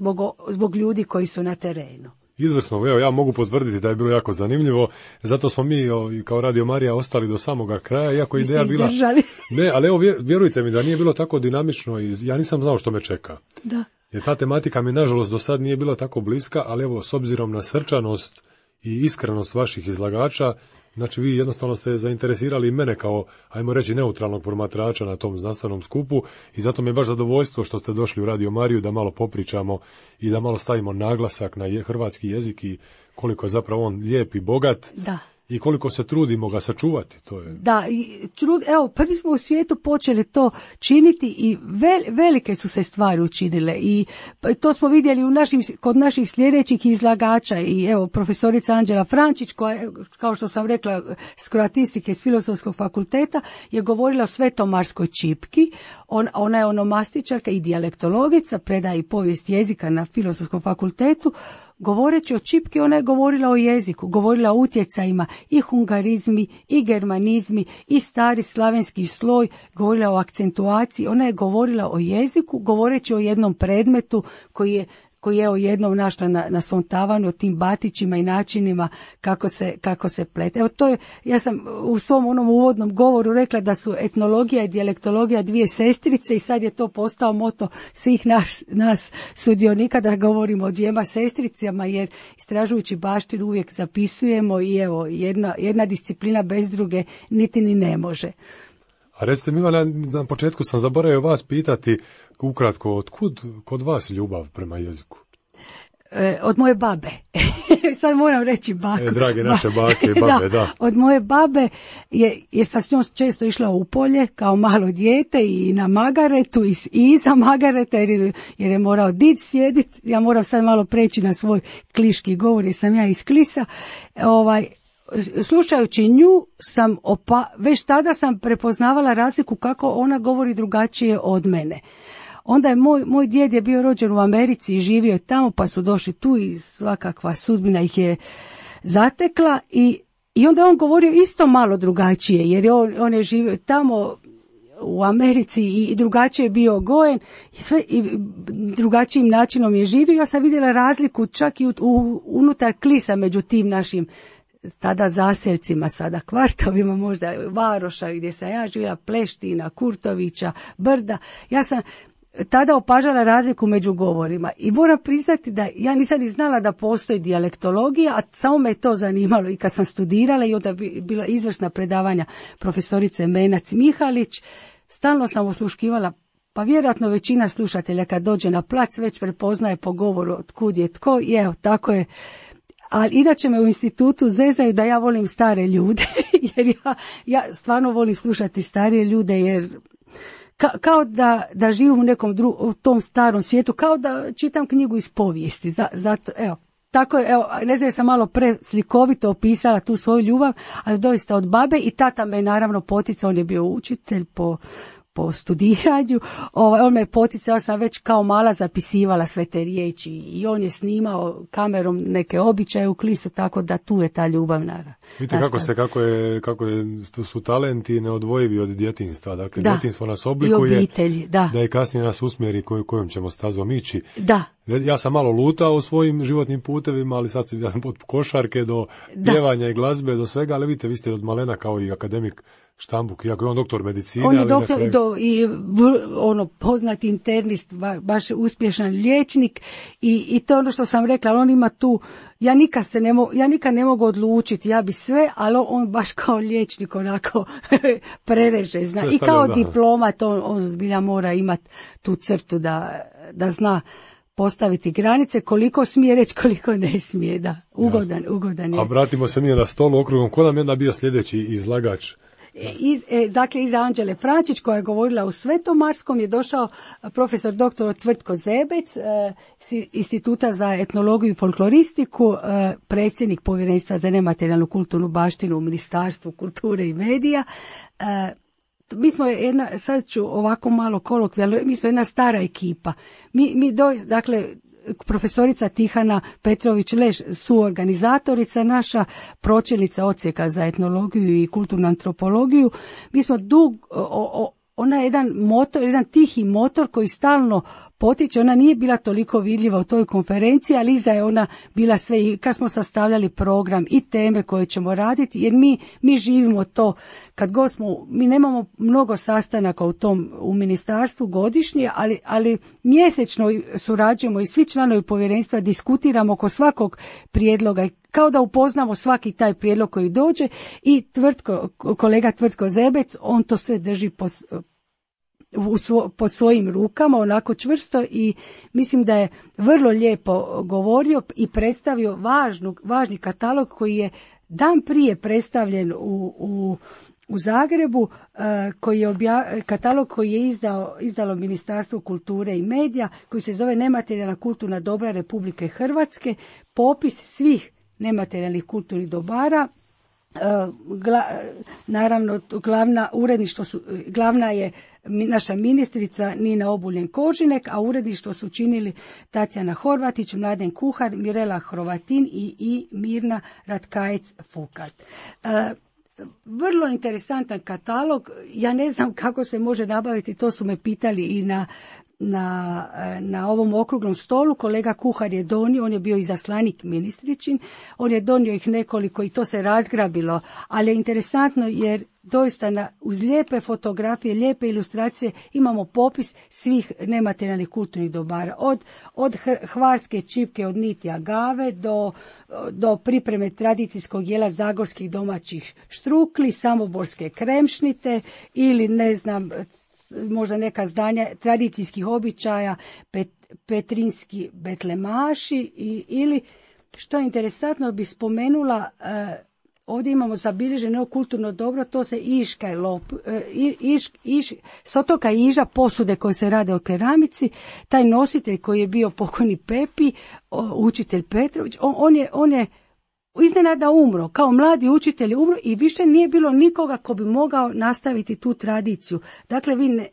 zbog ljudi koji su na terenu. Izvrsno, evo ja mogu potvrditi da je bilo jako zanimljivo, zato smo mi kao Radio Marija ostali do samoga kraja, iako ideja bila... Ne, ali evo vjerujte mi da nije bilo tako dinamično i ja nisam znao što me čeka. Da. Jer ta tematika mi nažalost do sad nije bila tako bliska, ali evo s obzirom na srčanost i iskrenost vaših izlagača, znači vi jednostavno ste zainteresirali mene kao, ajmo reći, neutralnog promatrača na tom znanstvenom skupu i zato mi je baš zadovoljstvo što ste došli u Radio Mariju da malo popričamo i da malo stavimo naglasak na hrvatski jezik i koliko je zapravo on lijep i bogat. Da. I koliko se trudimo ga sačuvati, to je. Da, evo, prvi smo u svijetu počeli to činiti i velike su se stvari učinile i to smo vidjeli kod naših sljedećih izlagača i evo profesorica Anđela Frančić koja je, kao što sam rekla, s kroatistike s Filozofskog fakulteta je govorila o svetomarskoj čipki, ona je onomastičarka i dijalektologica, predaje i povijest jezika na Filozofskom fakultetu. Govoreći o čipki, ona je govorila o jeziku, govorila o utjecajima i hungarizmi, i germanizmi, i stari slavenski sloj, govorila o akcentuaciji, ona je govorila o jeziku, govoreći o jednom predmetu koji je jednom našla na svom tavanu, o tim batićima i načinima kako se plete. Evo to je, ja sam u svom onom uvodnom govoru rekla da su etnologija i dijalektologija dvije sestrice i sad je to postao moto svih nas sudionika da govorimo o dvijema sestricama jer istražujući baštinu uvijek zapisujemo i evo jedna disciplina bez druge niti ni ne može. A recite mi, Ivana, na početku sam zaboravio vas pitati ukratko, otkud kod vas ljubav prema jeziku? Od moje babe. Sad moram reći baku. Drage naše bake i babe, da. Od moje babe, jer sam s njom često išla u polje kao malo dijete i na magaretu i iza magareta jer je morao did sjediti. Ja moram sad malo preći na svoj kliški govor jer sam ja iz Klisa. Slušajući nju već tada sam prepoznavala razliku kako ona govori drugačije od mene. Onda je moj djed je bio rođen u Americi i živio je tamo, pa su došli tu i svakakva sudbina ih je zatekla i onda je on govorio isto malo drugačije, jer on je živio tamo u Americi i drugačije je bio gojen i drugačijim načinom je živio. Ja sam vidjela razliku čak i unutar Klisa među tim našim tada zaseljcima, sada kvartovima, možda Varoša gdje sam ja živjela, Pleština, Kurtovića, Brda. Ja sam tada opažala razliku među govorima i moram priznati da ja nisam ni znala da postoji dijalektologija, a samo me to zanimalo i kad sam studirala i onda bila izvrsna predavanja profesorice Menac Mihalić, stalno sam osluškivala, pa vjerojatno većina slušatelja kad dođe na plac već prepoznaje po govoru otkud je tko i evo tako je. Ali inače me u institutu zezaju da ja volim stare ljude, jer ja stvarno volim slušati starije ljude, jer kao da živim u nekom u tom starom svijetu, kao da čitam knjigu iz povijesti. Zato, evo, tako je, evo, ne znam, sam malo preslikovito opisala tu svoju ljubav, ali doista od babe i tata me naravno poticao, on je bio učitelj po studiranju, on me poticao, ja sam već kao mala zapisivala sve te riječi i on je snimao kamerom neke običaje u Klisu, tako da tu je ta ljubav naravno. Vidite kako tu su talenti neodvojivi od djetinjstva, dakle djetinjstvo nas oblikuje, obitelji, da i kasnije nas usmjeri kojom ćemo stazom ići. Da. Ja sam malo lutao u svojim životnim putevima, ali sad sam od košarke do pjevanja i glazbe, do svega, ali vidite, vi ste od malena kao i akademik Štambuk, iako je on doktor medicine. On je doktor i poznati internist, baš uspješan liječnik i to je ono što sam rekla, ali on ima tu, ja nikad ne mogu odlučiti, ja bi sve, ali on baš kao liječnik onako prereže, zna. I kao diplomat on zbilja mora imati tu crtu da zna postaviti granice, koliko smije reći, koliko ne smije, da. Ugodan je. A vratimo se mi na stolu okrugom, ko nam je onda bio sljedeći izlagač? Dakle, iza Anđele Frančić koja je govorila u Svetomarskom je došao profesor dr. Tvrtko Zebec Instituta za etnologiju i folkloristiku, predsjednik Povjerenstva za nematerijalnu kulturnu baštinu u Ministarstvu kulture i medija. Mi smo sad ću ovako malo kolokvijalno, mi smo jedna stara ekipa. Dakle, profesorica Tihana Petrović-Leš, suorganizatorica naša, pročelnica odsjeka za etnologiju i kulturnu antropologiju. Mi smo ona je jedan tihi motor koji stalno potiče, ona nije bila toliko vidljiva u toj konferenciji, ali iza je ona bila sve i kad smo sastavljali program i teme koje ćemo raditi, jer mi živimo to, mi nemamo mnogo sastanaka u ministarstvu godišnje, ali mjesečno surađujemo i svi članovi povjerenstva diskutiramo oko svakog prijedloga, kao da upoznamo svaki taj prijedlog koji dođe i kolega Tvrtko Zebec, on to sve drži po svojim rukama, onako čvrsto i mislim da je vrlo lijepo govorio i predstavio važni katalog koji je dan prije predstavljen u Zagrebu, katalog koji je izdalo Ministarstvo kulture i medija, koji se zove Nematerijalna kulturna dobra Republike Hrvatske, popis svih nematerijalnih kulturnih dobara. Naravno, glavna je naša ministrica Nina Obuljen-Koržinek, a uredništvo su činili Tatjana Horvatić, Mladen Kuhar, Mirela Hrovatin i Mirna Ratkajec-Fukat. Vrlo interesantan katalog, ja ne znam kako se može nabaviti, to su me pitali i na ovom okruglom stolu. Kolega kuhar je donio, on je bio izaslanik ministričin, on je donio ih nekoliko i to se razgrabilo, ali je interesantno jer doista uz lijepe fotografije, lijepe ilustracije imamo popis svih nematerijalnih kulturnih dobara. Od hvarske čipke, od niti agave do pripreme tradicijskog jela zagorskih domaćih štrukli, samoborske kremšnite ili ne znam, možda neka zdanja tradicijskih običaja, petrinski betlemaši ili, što je interesantno, bi spomenula, ovdje imamo zabilježeno kulturno dobro, to se iška s otoka Iža, posude koje se rade o keramici. Taj nositelj koji je bio pokojni Pepi, učitelj Petrović, on je iznenada umro, kao mladi učitelj je umro i više nije bilo nikoga ko bi mogao nastaviti tu tradiciju. Dakle, vi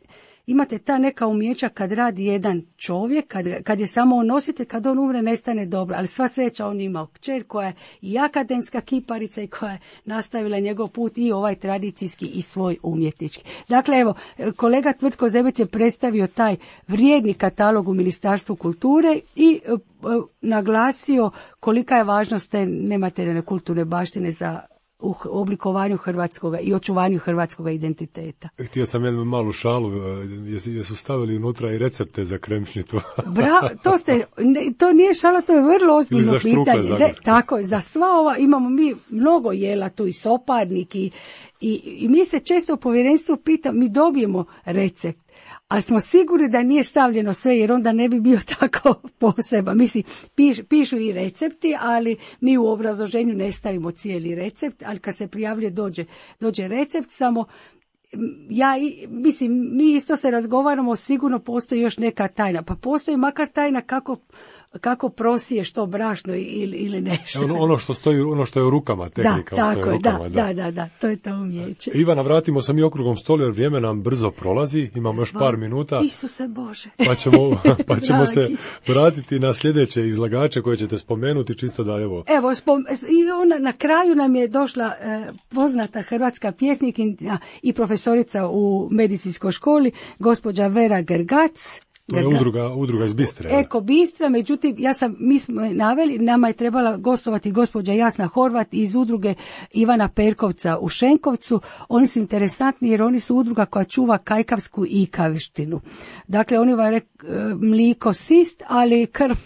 imate ta neka umjeća kad radi jedan čovjek, kad je samo on nositelj, kad on umre nestane dobro, ali sva sreća on imao kćer koja je i akademska kiparica i koja je nastavila njegov put i ovaj tradicijski i svoj umjetnički. Dakle, evo, kolega Tvrtko Zebec je predstavio taj vrijedni katalog u Ministarstvu kulture i naglasio kolika je važnost te nematerijalne kulturne baštine za u oblikovanju hrvatskoga i očuvanju hrvatskoga identiteta. Htio sam jednu malu šalu, jesu stavili unutra i recepte za kremšnitu. Bravo, to nije šala, to je vrlo ozbiljno pitanje. Tako je, za sva ova imamo mi mnogo jela tu i soparnik i mi se često u povjerenstvu mi dobijemo recept, ali smo sigurni da nije stavljeno sve, jer onda ne bi bio tako poseban. Mislim, pišu i recepti, ali mi u obrazloženju ne stavimo cijeli recept, ali kad se prijavljuje dođe recept, samo mi isto se razgovaramo, sigurno postoji još neka tajna, pa postoji makar tajna kako prosiješ to brašno ili nešto. Ono što je u rukama, tehnika. Da, to je to umjeće. Ivana, vratimo se mi okruglom stolu jer vrijeme nam brzo prolazi, imamo još par minuta. Isuse Bože. Pa ćemo se vratiti na sljedeće izlagače koje ćete spomenuti, čisto da evo. Evo, na kraju nam je došla poznata hrvatska pjesnikinja i profesorica u medicinskoj školi, gospođa Vera Grgac. To je udruga iz Bistre. Eko Bistra, međutim, mi smo naveli, nama je trebala gostovati gospođa Jasna Horvat iz udruge Ivana Perkovca u Šenkovcu. Oni su interesantni jer oni su udruga koja čuva kajkavsku ikavštinu. Dakle, oni vam mliko sist, ali krv,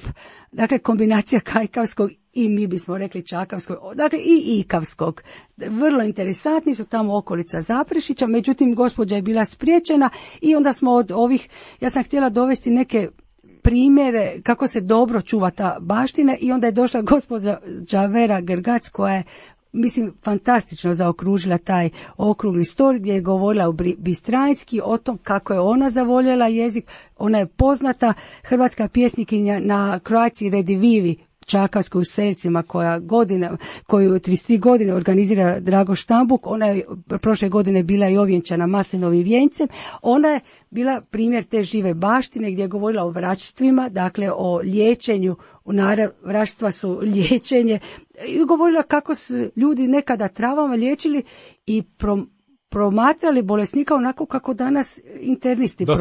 dakle, kombinacija kajkavskog i mi bismo rekli čakavskog, dakle i ikavskog. Vrlo interesantni su tamo okolica Zaprešića, međutim gospođa je bila spriječena i onda smo od ovih, ja sam htjela dovesti neke primjere kako se dobro čuva ta baština i onda je došla gospođa Vera Grgac koja je, mislim, fantastično zaokružila taj okrugli stol gdje je govorila bistranjski o tom kako je ona zavoljela jezik. Ona je poznata hrvatska pjesnikinja na Croatia Redivivi, čakavskoj u Selcima, koju 33 godine organizira Drago Štambuk. Ona je prošle godine bila i ovjenčana maslinovim vjenjcem. Ona je bila primjer te žive baštine gdje je govorila o vraćstvima, dakle o liječenju. Vraćstva su liječenje. I govorila kako su ljudi nekada travama liječili i promatrali bolesnika onako kako danas internisti prođu.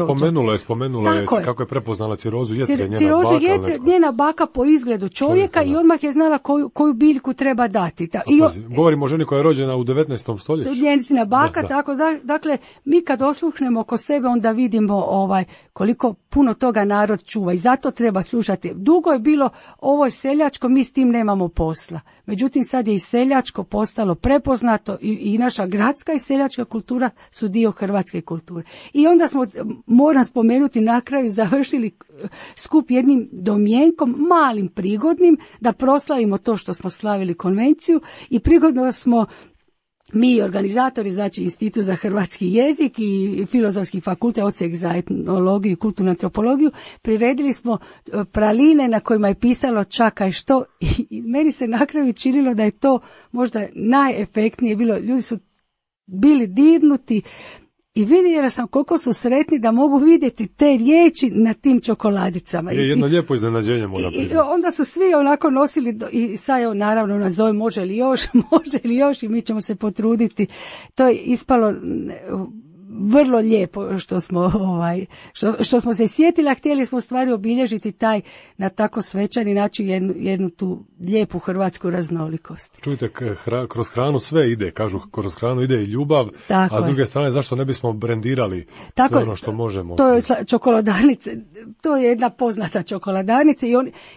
Spomenula je kako je prepoznala cirozu jetre, njena baka po izgledu čovjeka i odmah je znala koju biljku treba dati. Govorimo o ženi koja je rođena u 19. stoljeću. Njezina baka, tako da, dakle, mi kad osluhnemo oko sebe, onda vidimo koliko puno toga narod čuva i zato treba slušati. Dugo je bilo ovo je seljačko, mi s tim nemamo posla. Međutim, sad je i seljačko postalo prepoznato i naša gradska i seljačka kultura su dio hrvatske kulture. I onda smo, moram spomenuti, na kraju završili skup jednim domjenkom, malim prigodnim, da proslavimo to što smo slavili konvenciju i prigodno smo mi organizatori, znači Institut za hrvatski jezik i Filozofski fakultet, odsjek za etnologiju i kulturnu antropologiju, priredili smo praline na kojima je pisalo čakaj što i meni se na kraju činilo da je to možda najefektnije bilo. Ljudi su bili dirnuti i vidjela sam koliko su sretni da mogu vidjeti te riječi na tim čokoladicama. Je jedno lijepo iznenađenje, moram priznati. Onda su svi onako nosili i sad evo naravno nas zove može li još i mi ćemo se potruditi. To je ispalo vrlo lijepo što smo se sjetili, a htjeli smo u stvari obilježiti taj na tako svečani način jednu tu lijepu hrvatsku raznolikost. Čujte, kroz hranu sve ide, kažu kroz hranu ide i ljubav, tako a s druge strane zašto ne bismo brendirali sve ono što možemo. To je čokoladanice, to je jedna poznata čokoladanice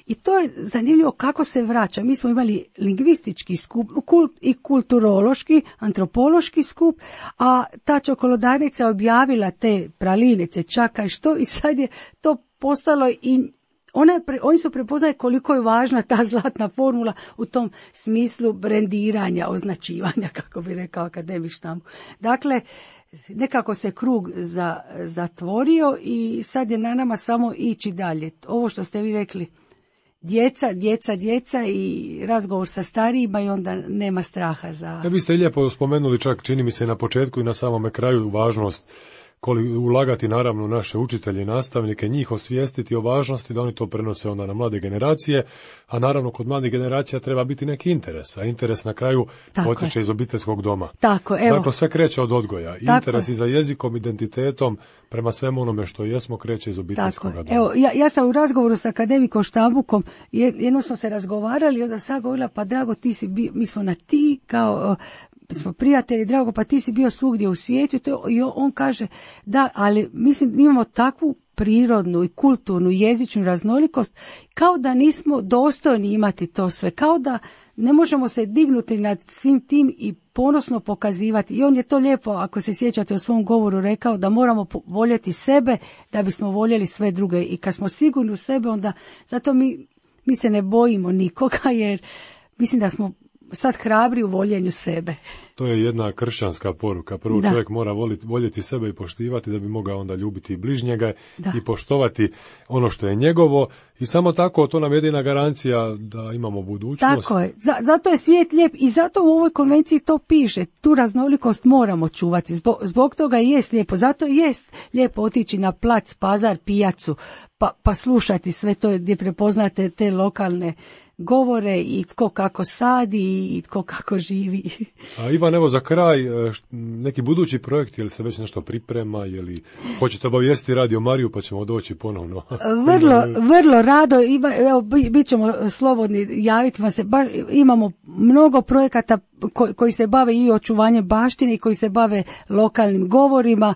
i to je zanimljivo kako se vraća. Mi smo imali lingvistički skup i kulturološki, antropološki skup, a ta čokoladanica objavila te pralinice, čakaj što, i sad je to postalo i oni su prepoznali koliko je važna ta zlatna formula u tom smislu brendiranja, označivanja, kako bi rekao akademik Štamp. Dakle, nekako se krug zatvorio i sad je na nama samo ići dalje. Ovo što ste vi rekli, djeca i razgovor sa starijima i onda nema straha za... Vi ste lijepo spomenuli, čak čini mi se na početku i na samome kraju, važnost ulagati naravno u naše učitelje i nastavnike, njih osvijestiti o važnosti da oni to prenose onda na mlade generacije, a naravno kod mladih generacija treba biti neki interes, a interes na kraju potiče iz obiteljskog doma. Dakle, sve kreće od odgoja. Interes i za jezikom, identitetom, prema svemu onome što jesmo, kreće iz obiteljskog doma. Evo, ja sam u razgovoru sa akademikom Štambukom, jednom smo se razgovarali i onda sad govorila, pa drago, ti si mi smo na ti, kao... smo prijatelji, drago, pa ti si bio svugdje u svijetu i on kaže da, ali mislim imamo takvu prirodnu i kulturnu jezičnu raznolikost kao da nismo dostojni imati to sve, kao da ne možemo se dignuti nad svim tim i ponosno pokazivati. I on je to lijepo, ako se sjećate u svom govoru, rekao da moramo voljeti sebe da bismo voljeli sve druge i kad smo sigurni u sebe, onda zato mi se ne bojimo nikoga, jer mislim da smo sad hrabri u voljenju sebe. To je jedna kršćanska poruka. Prvo čovjek mora voljeti sebe i poštivati da bi mogao onda ljubiti bližnjega i poštovati ono što je njegovo i samo tako to nam je jedina garancija da imamo budućnost. Tako je. Zato je svijet lijep i zato u ovoj konvenciji to piše. Tu raznolikost moramo čuvati. Zbog toga i jest lijepo. Zato i jest lijepo otići na plac, pazar, pijacu pa slušati sve to gdje prepoznate te lokalne govore i tko kako sadi i tko kako živi. A Ivan, evo za kraj, neki budući projekt, je li se već nešto priprema, je li hoćete obavijestiti Radio Mariju pa ćemo doći ponovno? Vrlo rado, evo, bit ćemo slobodni, javiti vam se, imamo mnogo projekata koji se bave i očuvanjem baštine i koji se bave lokalnim govorima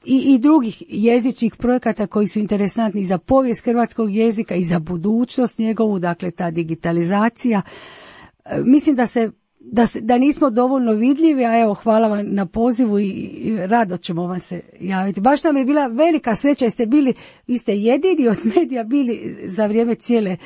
i drugih jezičnih projekata koji su interesantni za povijest hrvatskog jezika i za budućnost njegovu, dakle ta digitalizacija. Mislim da nismo dovoljno vidljivi, a evo hvala vam na pozivu i rado ćemo vam se javiti. Baš nam je bila velika sreća, vi ste jedini od medija bili za vrijeme cijele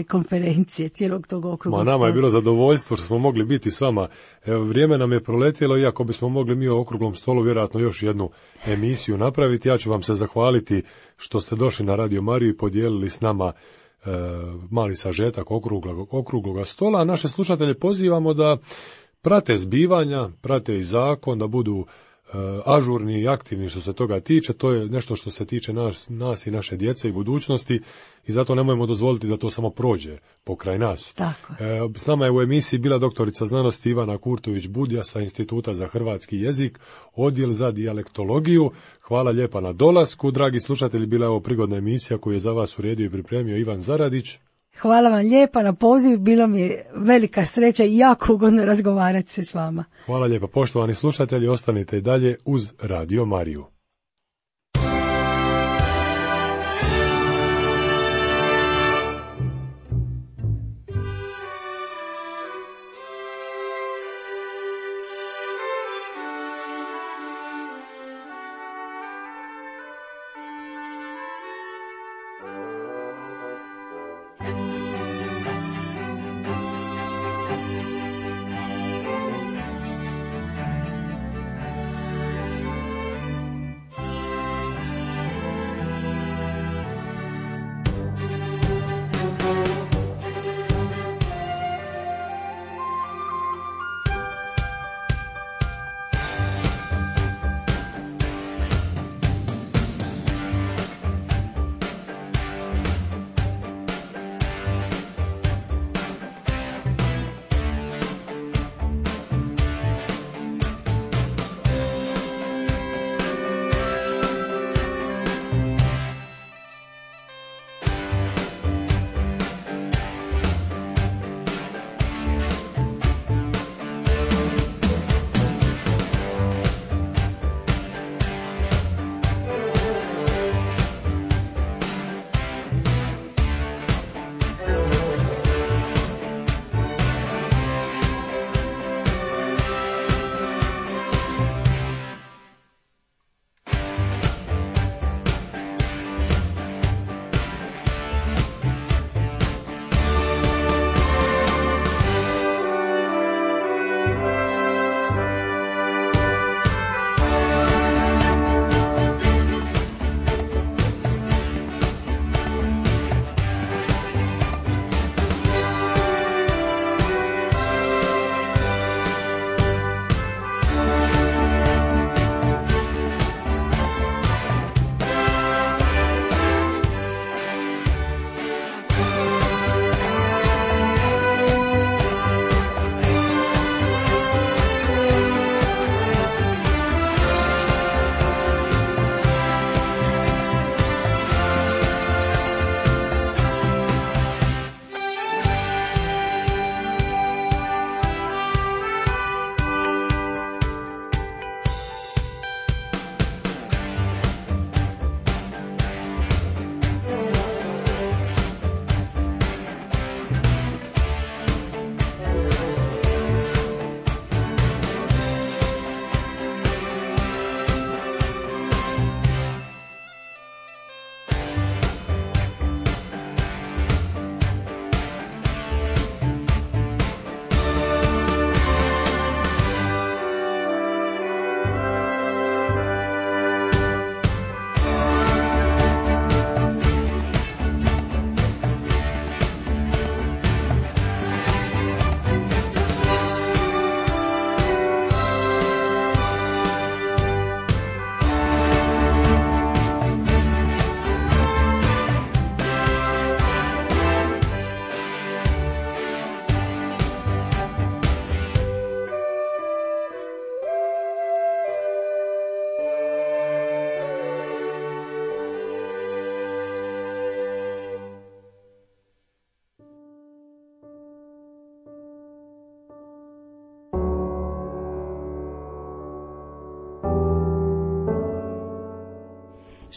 konferencije, cijelog tog okruglog stola. Nama je bilo zadovoljstvo što smo mogli biti s vama. Evo, vrijeme nam je proletjelo, iako bismo mogli mi u okruglom stolu vjerojatno još jednu emisiju napraviti. Ja ću vam se zahvaliti što ste došli na Radio Mariju i podijelili s nama mali sažetak okrugloga stola, a naše slušatelje pozivamo da prate zbivanja, prate i zakon, da budu ažurni i aktivni što se toga tiče. To je nešto što se tiče nas i naše djece i budućnosti i zato nemojmo dozvoliti da to samo prođe pokraj nas. S nama je u emisiji bila doktorica znanosti Ivana Kurtović-Budja sa Instituta za hrvatski jezik, odjel za dijalektologiju. Hvala lijepa na dolasku. Dragi slušatelji, bila je ovo prigodna emisija koju je za vas uredio i pripremio Ivan Zaradić. Hvala vam lijepa na poziv, bilo mi je velika sreća i jako ugodno razgovarati se s vama. Hvala lijepa, poštovani slušatelji, ostanite i dalje uz Radio Mariju.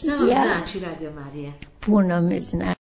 Šta vam znači Radio Marija? Puno mi znači.